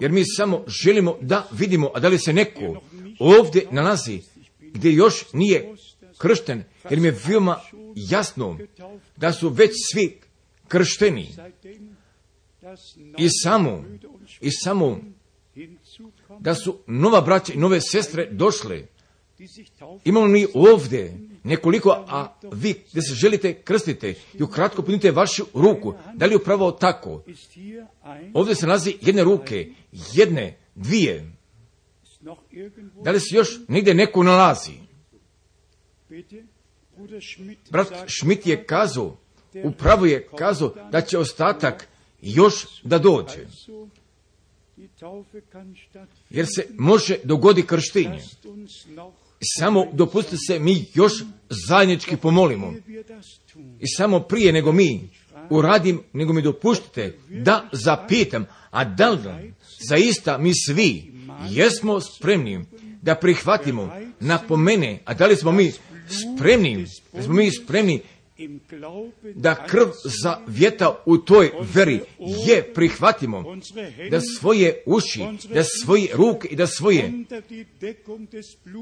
Jer mi samo želimo da vidimo, a da li se neko ovdje nalazi gdje još nije kršten, jer mi je veoma jasno da su već svi kršteni. I samo da su nova braća i nove sestre došle. Imamo mi ovdje nekoliko, a vi gdje se želite krstite i ukratko punite vašu ruku. Da li je upravo tako? Ovdje se nalazi jedne ruke, jedne, dvije. Da li se još negdje neko nalazi? Brat Schmidt je kazao, upravo je kazao da će ostatak još da dođe. Jer se može dogoditi krštenje. Samo dopustite se mi još zajednički pomolimo. I samo prije nego mi uradim, nego mi dopuštite da zapitam, a da li zaista mi svi jesmo spremni da prihvatimo napomene, a da li smo mi spremni da krv zavjeta u toj veri je prihvatimo, da svoje uši, da svoje ruke i da svoje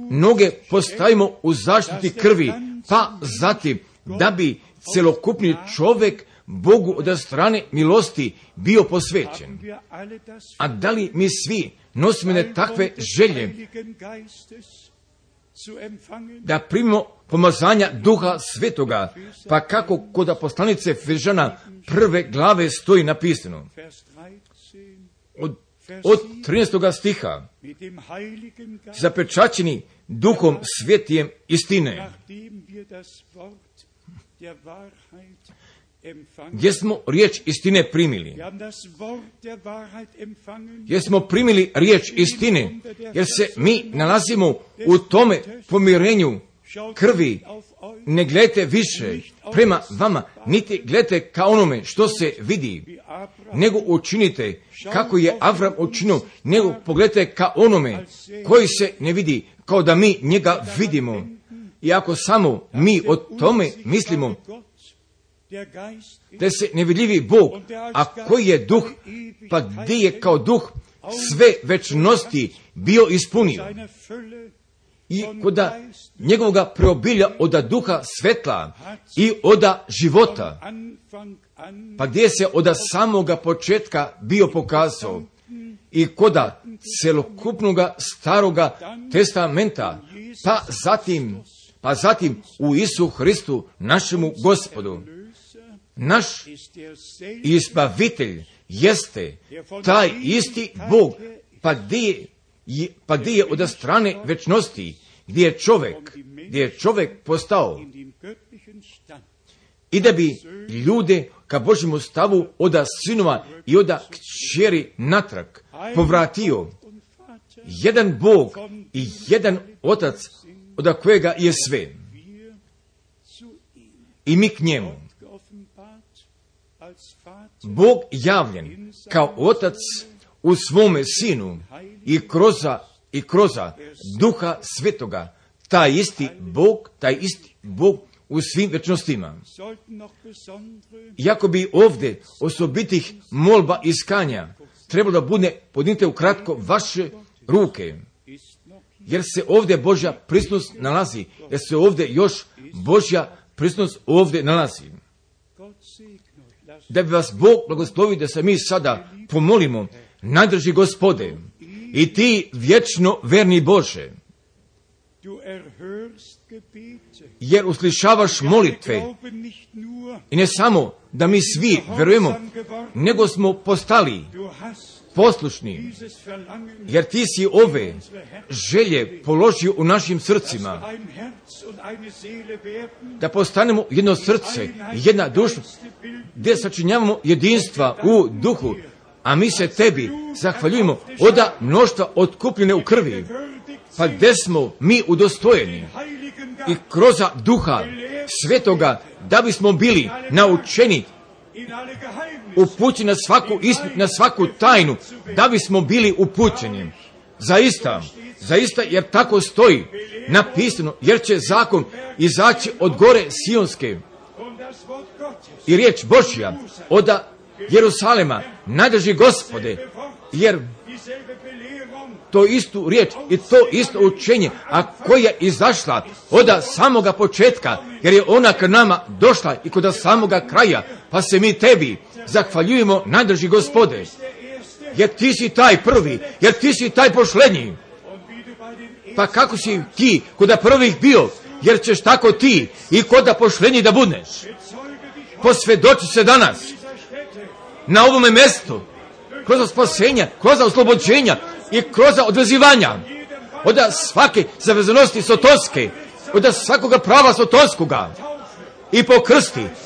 noge postavimo u zaštiti krvi, pa zatim da bi celokupni čovjek Bogu od strane milosti bio posvećen. A da li mi svi nosimo takve želje da primimo pomazanja Duha Svetoga, pa kako kod poslanice Efežana 1. glave stoji napisano od 13. stiha: zapečaćeni Duhom Svetijem istine. Gdje smo riječ istine primili? Jer smo primili riječ istine, jer se mi nalazimo u tome pomirenju krvi. Ne gledajte više prema vama, niti gledajte ka onome što se vidi, nego učinite kako je Avram učinio, nego pogledajte ka onome koji se ne vidi, kao da mi njega vidimo. I ako samo mi o tome mislimo, da se nevidljivi Bog, a koji je duh, pa gdje je kao duh sve večnosti bio ispunio. i koda njegovoga preobilja oda duha svetla i oda života, pa gdje se oda samoga početka bio pokazao i koda celokupnoga staroga testamenta, pa zatim u Isu Hristu našemu Gospodu. Naš izbavitelj jeste taj isti Bog, pa gdje je od strane večnosti, gdje je čovjek postao, i da bi ljude ka Božjemu stavu oda sinova i oda kćeri natrag povratio. Jedan Bog i jedan Otac od kojega je sve. I mi k njemu. Bog javljen kao Otac u svome Sinu i kroza Duha Svetoga, taj isti Bog u svim večnostima. Iako bi ovdje osobitih molba iskanja trebalo da bude podnite ukratko vaše ruke, jer se ovdje Božja prisutnost nalazi, jer se ovdje još Božja prisutnost ovdje nalazi. Da bi vas Bog blagoslovi da se mi sada pomolimo, najdrži Gospode, i ti vječno verni Bože, jer uslišavaš molitve, i ne samo da mi svi verujemo, nego smo postali poslušni, jer ti si ove želje položio u našim srcima, da postanemo jedno srce, jedna duša, gdje sačinjavamo jedinstva u duhu, a mi se tebi zahvaljujemo oda mnoštva otkupljene u krvi, pa gdje smo mi udostojeni i kroz Duha Svetoga, da bismo bili naučeni, upućeni na svaku istinu, na svaku tajnu, da bismo bili upućeni. Zaista, jer tako stoji napisano, jer će zakon izaći od gore Sionske i riječ Božja od Jerusalema, najdrži Gospode, jer to istu riječ i to isto učenje, a koja je izašla od samoga početka, jer je ona k nama došla i kod samoga kraja, pa se mi tebi zahvaljujemo, najdrži Gospode, jer ti si taj prvi, jer ti si taj posljednji. Pa kako si ti kod prvih bio, jer ćeš tako ti i kod posljednji da budeš. Posvjedoči se danas na ovome mjestu, kroz spasenja, kroz oslobođenja i kroz odvezivanja od svake zavezanosti sotonske, od svakoga prava sotonskoga,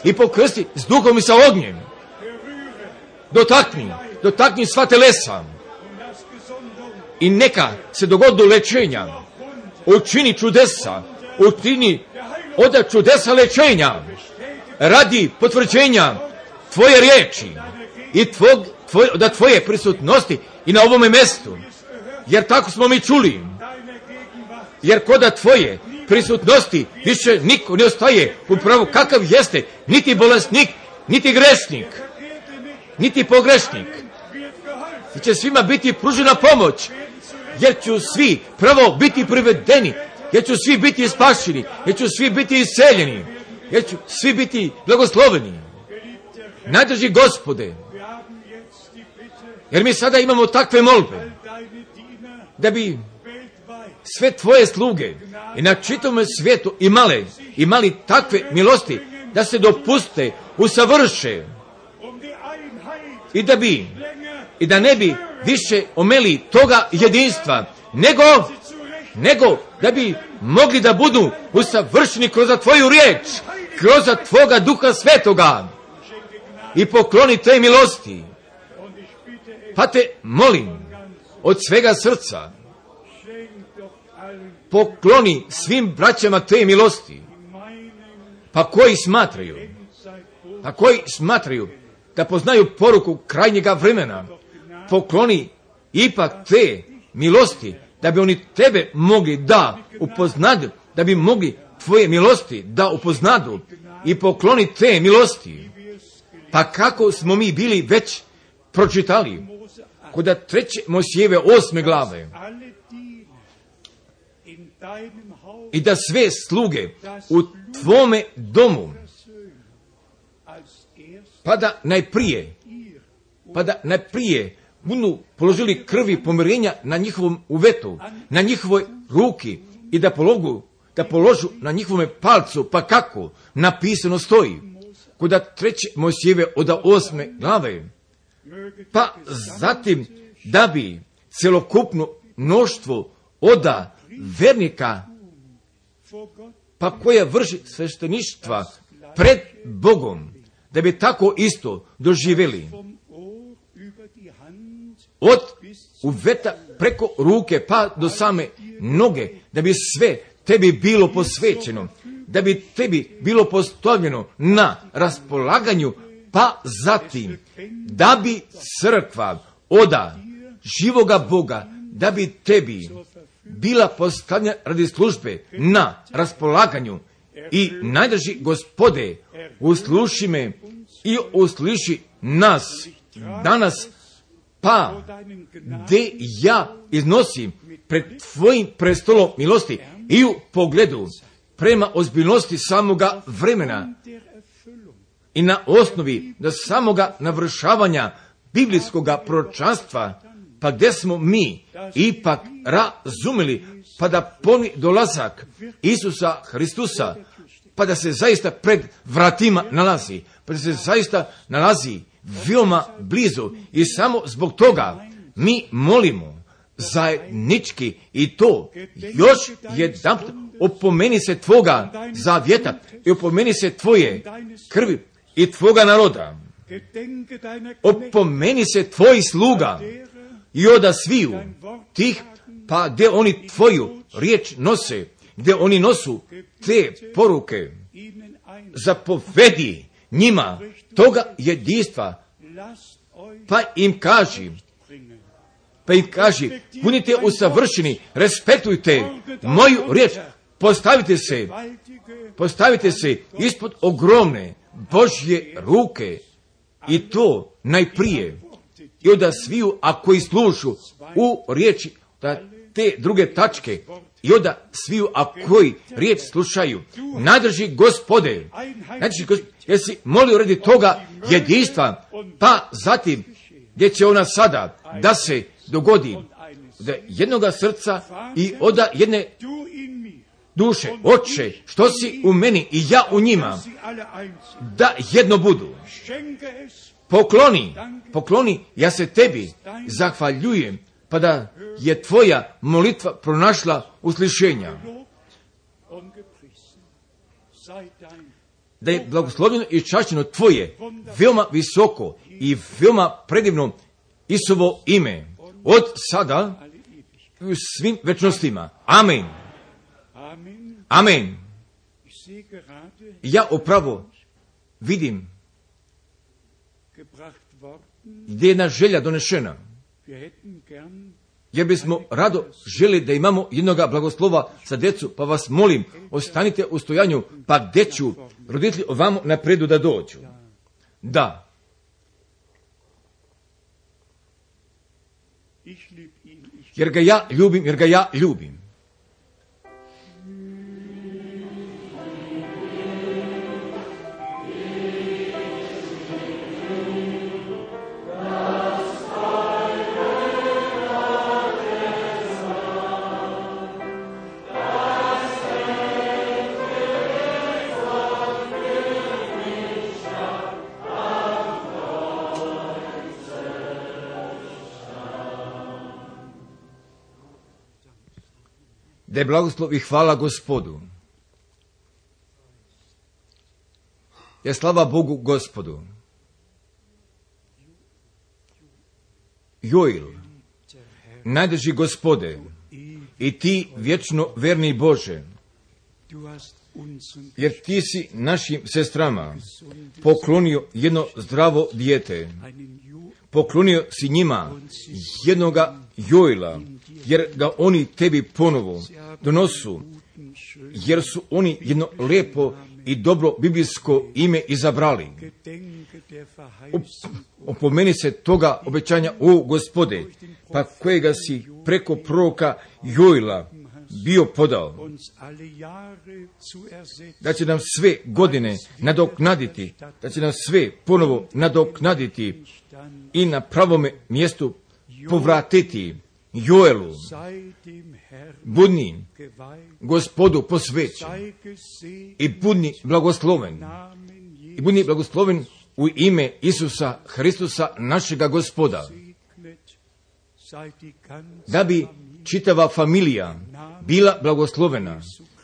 i pokrsti s duhom i sa ognjem. Dotakni sva telesa i neka se dogodi lečenja, učini čudesa, učini od čudesa lečenja radi potvrđenja tvoje riječi i tvoje prisutnosti i na ovome mjestu, jer tako smo mi čuli, jer kod tvoje prisutnosti više niko ne ostaje upravo kakav jeste, niti bolesnik, niti grešnik, niti pogrešnik, jer će svima biti pružena pomoć, jer će svi pravo biti privedeni, jer će svi biti spašeni, jer će svi biti isceljeni, jer će svi biti blagosloveni. Najdrži Gospode, jer mi sada imamo takve molbe, da bi sve tvoje sluge i na čitavom svijetu imali takve milosti, da se dopuste, usavrše, i da ne bi više omeli toga jedinstva, nego da bi mogli da budu usavršeni kroz tvoju riječ, kroz tvoga Duha Svetoga, i pokloni te milosti. Pa te molim od svega srca, pokloni svim braćama te milosti, pa koji smatraju da poznaju poruku krajnjega vremena, pokloni ipak te milosti, da bi oni tebe mogli da upoznadu, da bi mogli tvoje milosti da upoznadu, i pokloni te milosti. Pa kako smo mi bili već pročitali kod 3. Mojsijeve 8. glave, i da sve sluge u tvome domu, pa da najprije budu položili krvi pomirenja na njihovom uvetu, na njihovoj ruki i da položu na njihovome palcu, pa kako napisano stoji kod 3. Mojsijeve od 8. glave, pa zatim da bi celokupno mnoštvo oda vernika, pa koja vrši svešteništva pred Bogom, da bi tako isto doživjeli od uveta preko ruke pa do same noge, da bi sve tebi bilo posvećeno, da bi tebi bilo postavljeno na raspolaganju, pa zatim da bi crkva oda živoga Boga, da bi tebi bila postavljena radi službe na raspolaganju. I najdraži Gospode, usluši me i usliši nas danas, pa gdje ja iznosim pred tvojim prestolom milosti i u pogledu prema ozbiljnosti samoga vremena i na osnovi do samoga navršavanja biblijskoga proročanstva, pa gdje smo mi ipak razumeli, pa da poni dolazak Isusa Hristusa, pa da se zaista pred vratima nalazi, pa da se zaista nalazi veoma blizu, i samo zbog toga mi molimo zajednički i to još jedanput: opomeni se tvoga zavjeta i opomeni se tvoje krvi i tvoga naroda. Opomeni se tvojih sluga i oda sviju tih, pa gdje oni tvoju riječ nose, gdje oni nosu te poruke, zapovedi njima toga jedinstva, pa im kaži, budite usavršeni, respektujte moju riječ, postavite se ispod ogromne Božje ruke, i to najprije i od sviju, a koji slušu u riječi, da te druge tačke, i od sviju, a koji riječ slušaju. Najdrži Gospode, jesi molio radi toga jedinstva, pa zatim gdje će ona sada da se dogodi od jednoga srca i od jedne duše. Oče, što si u meni i ja u njima, da jedno budu. Pokloni, ja se tebi zahvaljujem, pa da je tvoja molitva pronašla uslišenja. Da je blagoslovljeno i čašćeno tvoje veoma visoko i veoma predivno Isuvo ime, od sada u svim večnostima. Amen. Amen. Ja upravo vidim gdje je jedna želja donešena, jer bismo rado želi da imamo jednoga blagoslova za djecu, pa vas molim, ostanite u stojanju, pa gdje ću roditelji ovamo napredu da dođu. Da. Jer ga ja ljubim. Da je blagoslov i hvala Gospodu. Ja slava Bogu Gospodu. Joil, najdrži Gospode, i ti vječno verni Bože, jer ti si našim sestrama poklonio jedno zdravo dijete. Poklonio si njima jednoga Joila, jer ga oni tebi ponovo donosu, jer su oni jedno lijepo i dobro biblijsko ime izabrali. Opomeni se toga obećanja, o Gospode, pa kojega si preko proroka Joila bio podao, da će nam sve godine nadoknaditi, da će nam sve ponovo nadoknaditi i na pravome mjestu povratiti. Joelu, budni Gospodu posvećen i budni blagosloven u ime Isusa Hristusa našega Gospoda, da bi čitava familija bila blagoslovena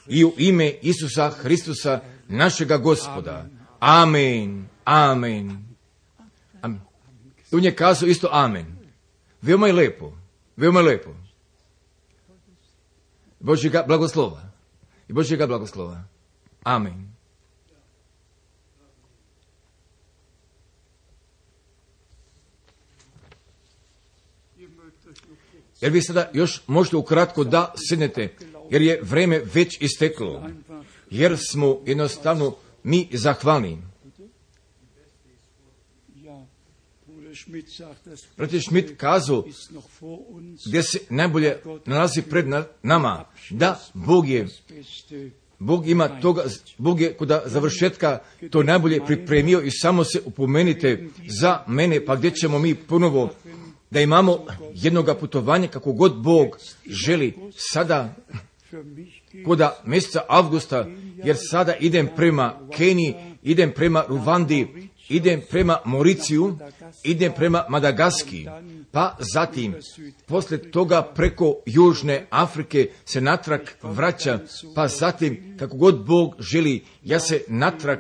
i u ime Isusa Hristusa našega Gospoda. Amen, amen. On je kazao isto amen. Veoma je lepo, veoma je lepo. Božjega blagoslova i Božjega blagoslova. Amen. Jer vi sada još možete ukratko da sednete, jer je vreme već isteklo, jer smo jednostavno mi zahvalni. Brat Schmidt kazao, gdje se najbolje nalazi pred nama, da Bog ima toga, Bog je kod završetka to najbolje pripremio i samo se upomenite za mene, pa gdje ćemo mi ponovo da imamo jednoga putovanja kako god Bog želi sada kod mjeseca avgusta, jer sada idem prema Keniji, idem prema Ruvandi, idem prema Mauriciju, idem prema Madagaski, pa zatim poslije toga preko Južne Afrike se natrag vraća, pa zatim kako god Bog želi ja se natrag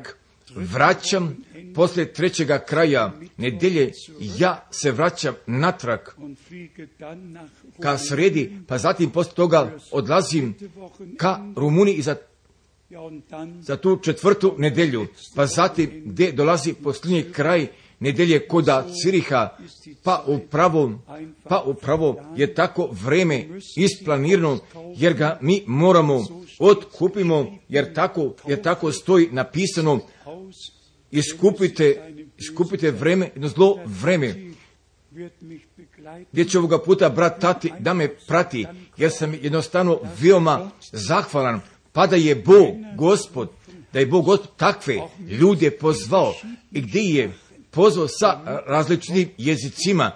vraćam, poslije trećega kraja nedelje ja se vraćam natrag ka sredi, pa zatim poslije toga odlazim ka Rumuniji i za tu četvrtu nedelju, pa zatim gdje dolazi posljednji kraj nedelje koda Ciriha, pa upravo je tako vreme isplanirano, jer ga mi moramo otkupimo, jer tako stoji napisano, iskupite vreme, jedno zlo vreme, gdje će ovoga puta brat Tati da me prati, jer sam jednostavno veoma zahvalan, pa da je Bog Gospod takve ljude pozvao i gdje je pozvao sa različitim jezicima,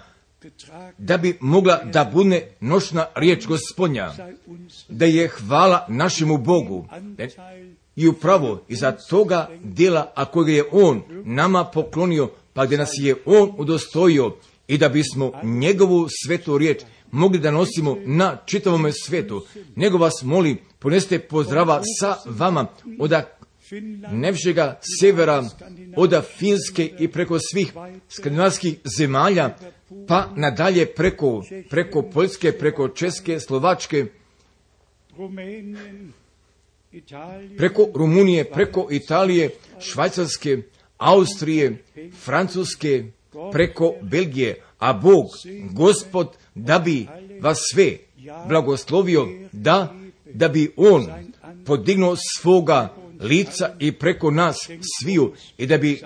da bi mogla da bude noćna riječ Gospodnja, da je hvala našemu Bogu. I upravo iza toga djela, a kojega je On nama poklonio, pa gdje nas je On udostojio, i da bismo njegovu svetu riječ mogli da nosimo na čitavome svetu. Nego vas molim, ponesite pozdrava sa vama od najvišega severa, od Finske i preko svih skandinavskih zemalja, pa nadalje preko Poljske, preko Česke, Slovačke, preko Rumunije, preko Italije, Švajcarske, Austrije, Francuske, preko Belgije, a Bog, Gospod, da bi vas sve blagoslovio, da bi On podignuo svoga lica i preko nas sviju i da bi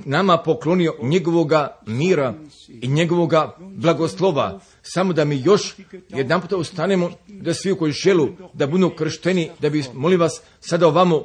nama poklonio njegovoga mira i njegovoga blagoslova. Samo da mi još jedan puta ustanemo, da svi koji želu da budu kršteni, da bi, molim vas, sada ovamo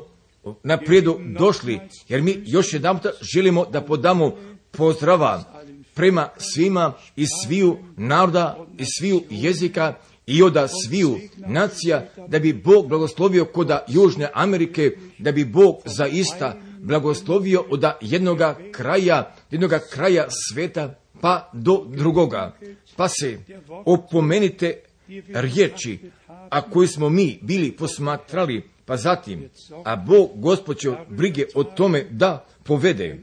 naprijedu došli, jer mi još jedan puta želimo da podamo pozdrava prema svima iz sviju naroda, iz sviju jezika i od sviju nacija, da bi Bog blagoslovio kod Južne Amerike, da bi Bog zaista blagoslovio od jednoga kraja sveta pa do drugoga. Pa se opomenite riječi, a koji smo mi bili posmatrali, pa zatim, a Bog Gospod će brige o tome da povede,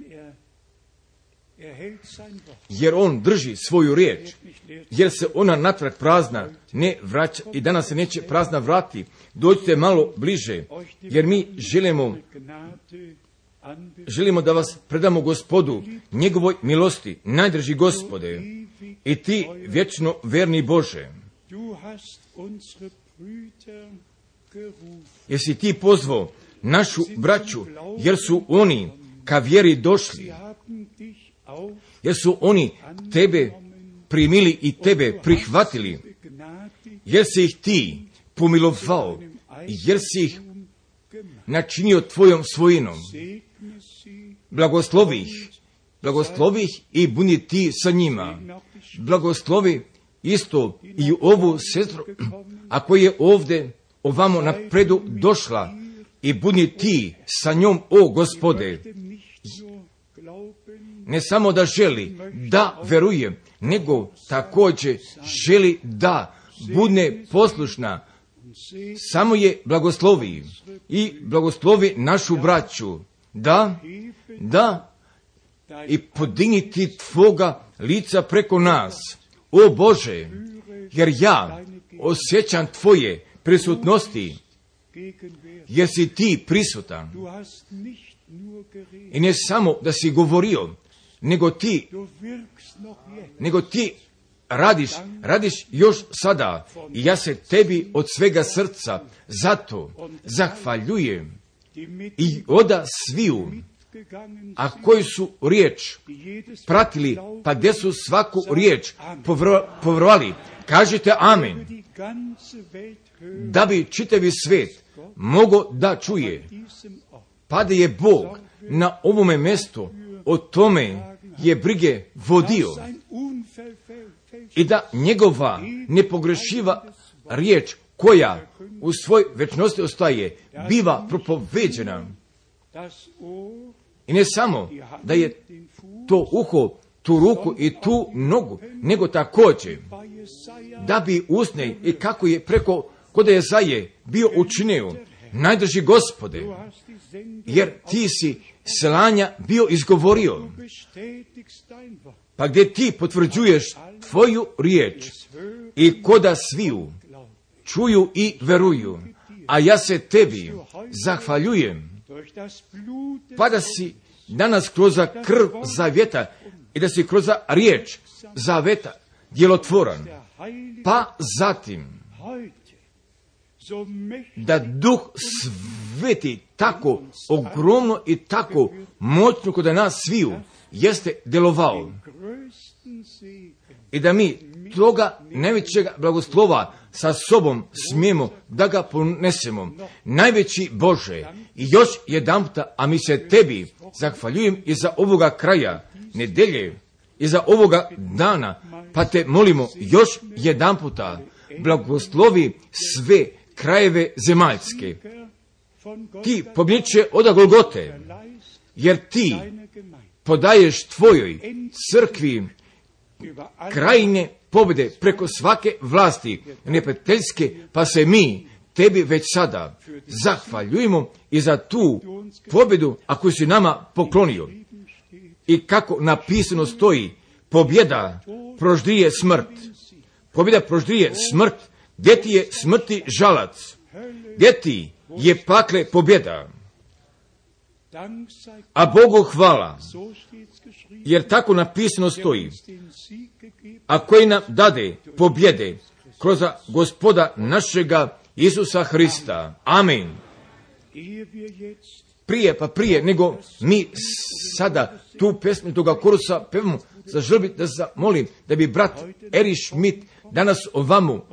jer On drži svoju riječ, jer se ona natrag prazna ne vraća i danas se neće prazna vrati. Dođite malo bliže, jer mi želimo da vas predamo Gospodu, njegovoj milosti, najdrži Gospode, i ti vječno verni Bože. Jesi ti pozvao našu braću, jer su oni ka vjeri došli, jer su oni tebe primili i tebe prihvatili, jer si ih ti pomilovao, jer si ih načinio tvojom svojinom. Blagoslovi ih i budi ti sa njima. Blagoslovi isto i ovu sestru, ako je ovdje ovamo napredu došla, i budi ti sa njom, o Gospode. Ne samo da želi da veruje, nego također želi da bude poslušna. Samo je blagoslovi i blagoslovi našu braću, da i podigniti tvoga lica preko nas, o Bože, jer ja osjećam tvoje prisutnosti, jer si ti prisutan. I ne samo da si govorio, nego ti radiš još sada. I ja se tebi od svega srca zato zahvaljujem i oda sviju, a koji su riječ pratili, pa gdje su svaku riječ povjerovali, kažite amen, da bi čitavi svijet mogao da čuje, pa da je Bog na ovome mjestu o tome je brige vodio i da njegova nepogrešiva riječ koja u svoj večnosti ostaje, biva propoveđena. I ne samo da je to uho, tu ruku i tu nogu, nego također da bi usne i kako je preko kod Jezaje bio učinio, najdrži Gospode, jer ti si slanja bio izgovorio, pa gdje ti potvrđuješ tvoju riječ i koda sviju čuju i veruju, a ja se tebi zahvaljujem, pa da si danas kroz krv zavjeta i da si kroz riječ zavjeta djelotvoran, pa zatim da Duh Sveti tako ogromno i tako moćno kod nas sviju jeste djelovao i da mi toga najvećega blagoslova sa sobom smijemo da ga ponesemo. Najveći Bože, i još jedanputa, a mi se tebi zahvaljujem i za ovoga kraja nedelje i za ovoga dana, pa te molimo još jedanputa, blagoslovi sve krajeve zemaljske. Ti pobjeće od Golgote, jer ti podaješ tvojoj crkvi krajine pobjede preko svake vlasti neprijateljske, pa se mi tebi već sada zahvaljujemo i za tu pobjedu, a koju si nama poklonio. I kako napisano stoji, pobjeda proždrije smrt. Pobjeda proždrije smrt. Gdje ti je smrti žalac? Gdje ti je pakle pobjeda? A Bogu hvala, jer tako napisano stoji, a koji nam dade pobjede kroz Gospoda našega Isusa Hrista. Amen. Prije nego mi sada tu pesmu toga korusa pevamo, zaželim da zamolim da bi brat Erich Schmidt danas ovamo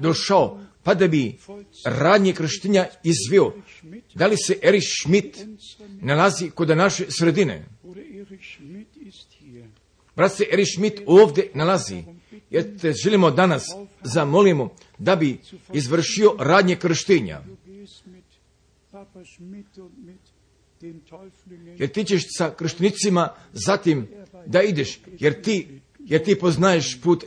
došao, pa da bi radnje krštenja izveo. Da li se Erich Schmidt nalazi kod naše sredine? Brat se Erich Schmidt ovdje nalazi, jer te želimo danas zamolimo da bi izvršio radnje krštenja. Jer ti ćeš sa krštenicima zatim da ideš, jer ti poznaješ put,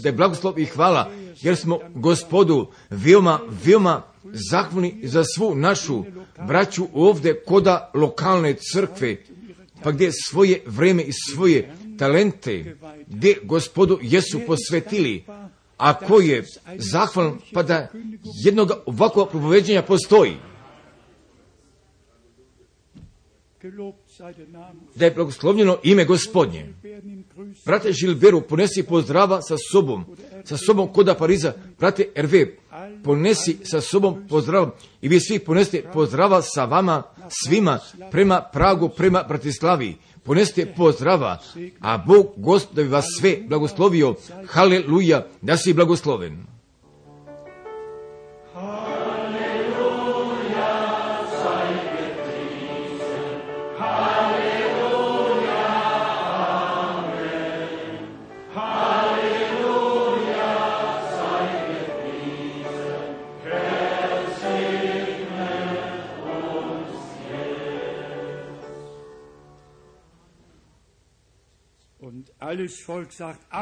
da je blagoslov i hvala, jer smo Gospodu veoma zahvalni za svu našu braću ovdje koda lokalne crkve, pa gdje svoje vreme i svoje talente, gdje Gospodu jesu posvetili, a ko je zahvalan, pa da jednog ovakvog propoveđenja postoji. Da je blagoslovljeno ime Gospodnje. Brate Žilberu, ponesi pozdrava sa sobom koda Pariza. Brate Hervé, ponesi sa sobom pozdrava i vi svi ponesite pozdrava sa vama svima prema Pragu, prema Bratislavi. Ponesite pozdrava, a Bog Gospod da bi vas sve blagoslovio. Haleluja, da si blagosloven.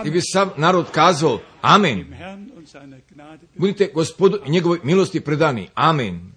I bi sav narod kazao, amen. Budite Gospodu i njegovoj milosti predani, amen.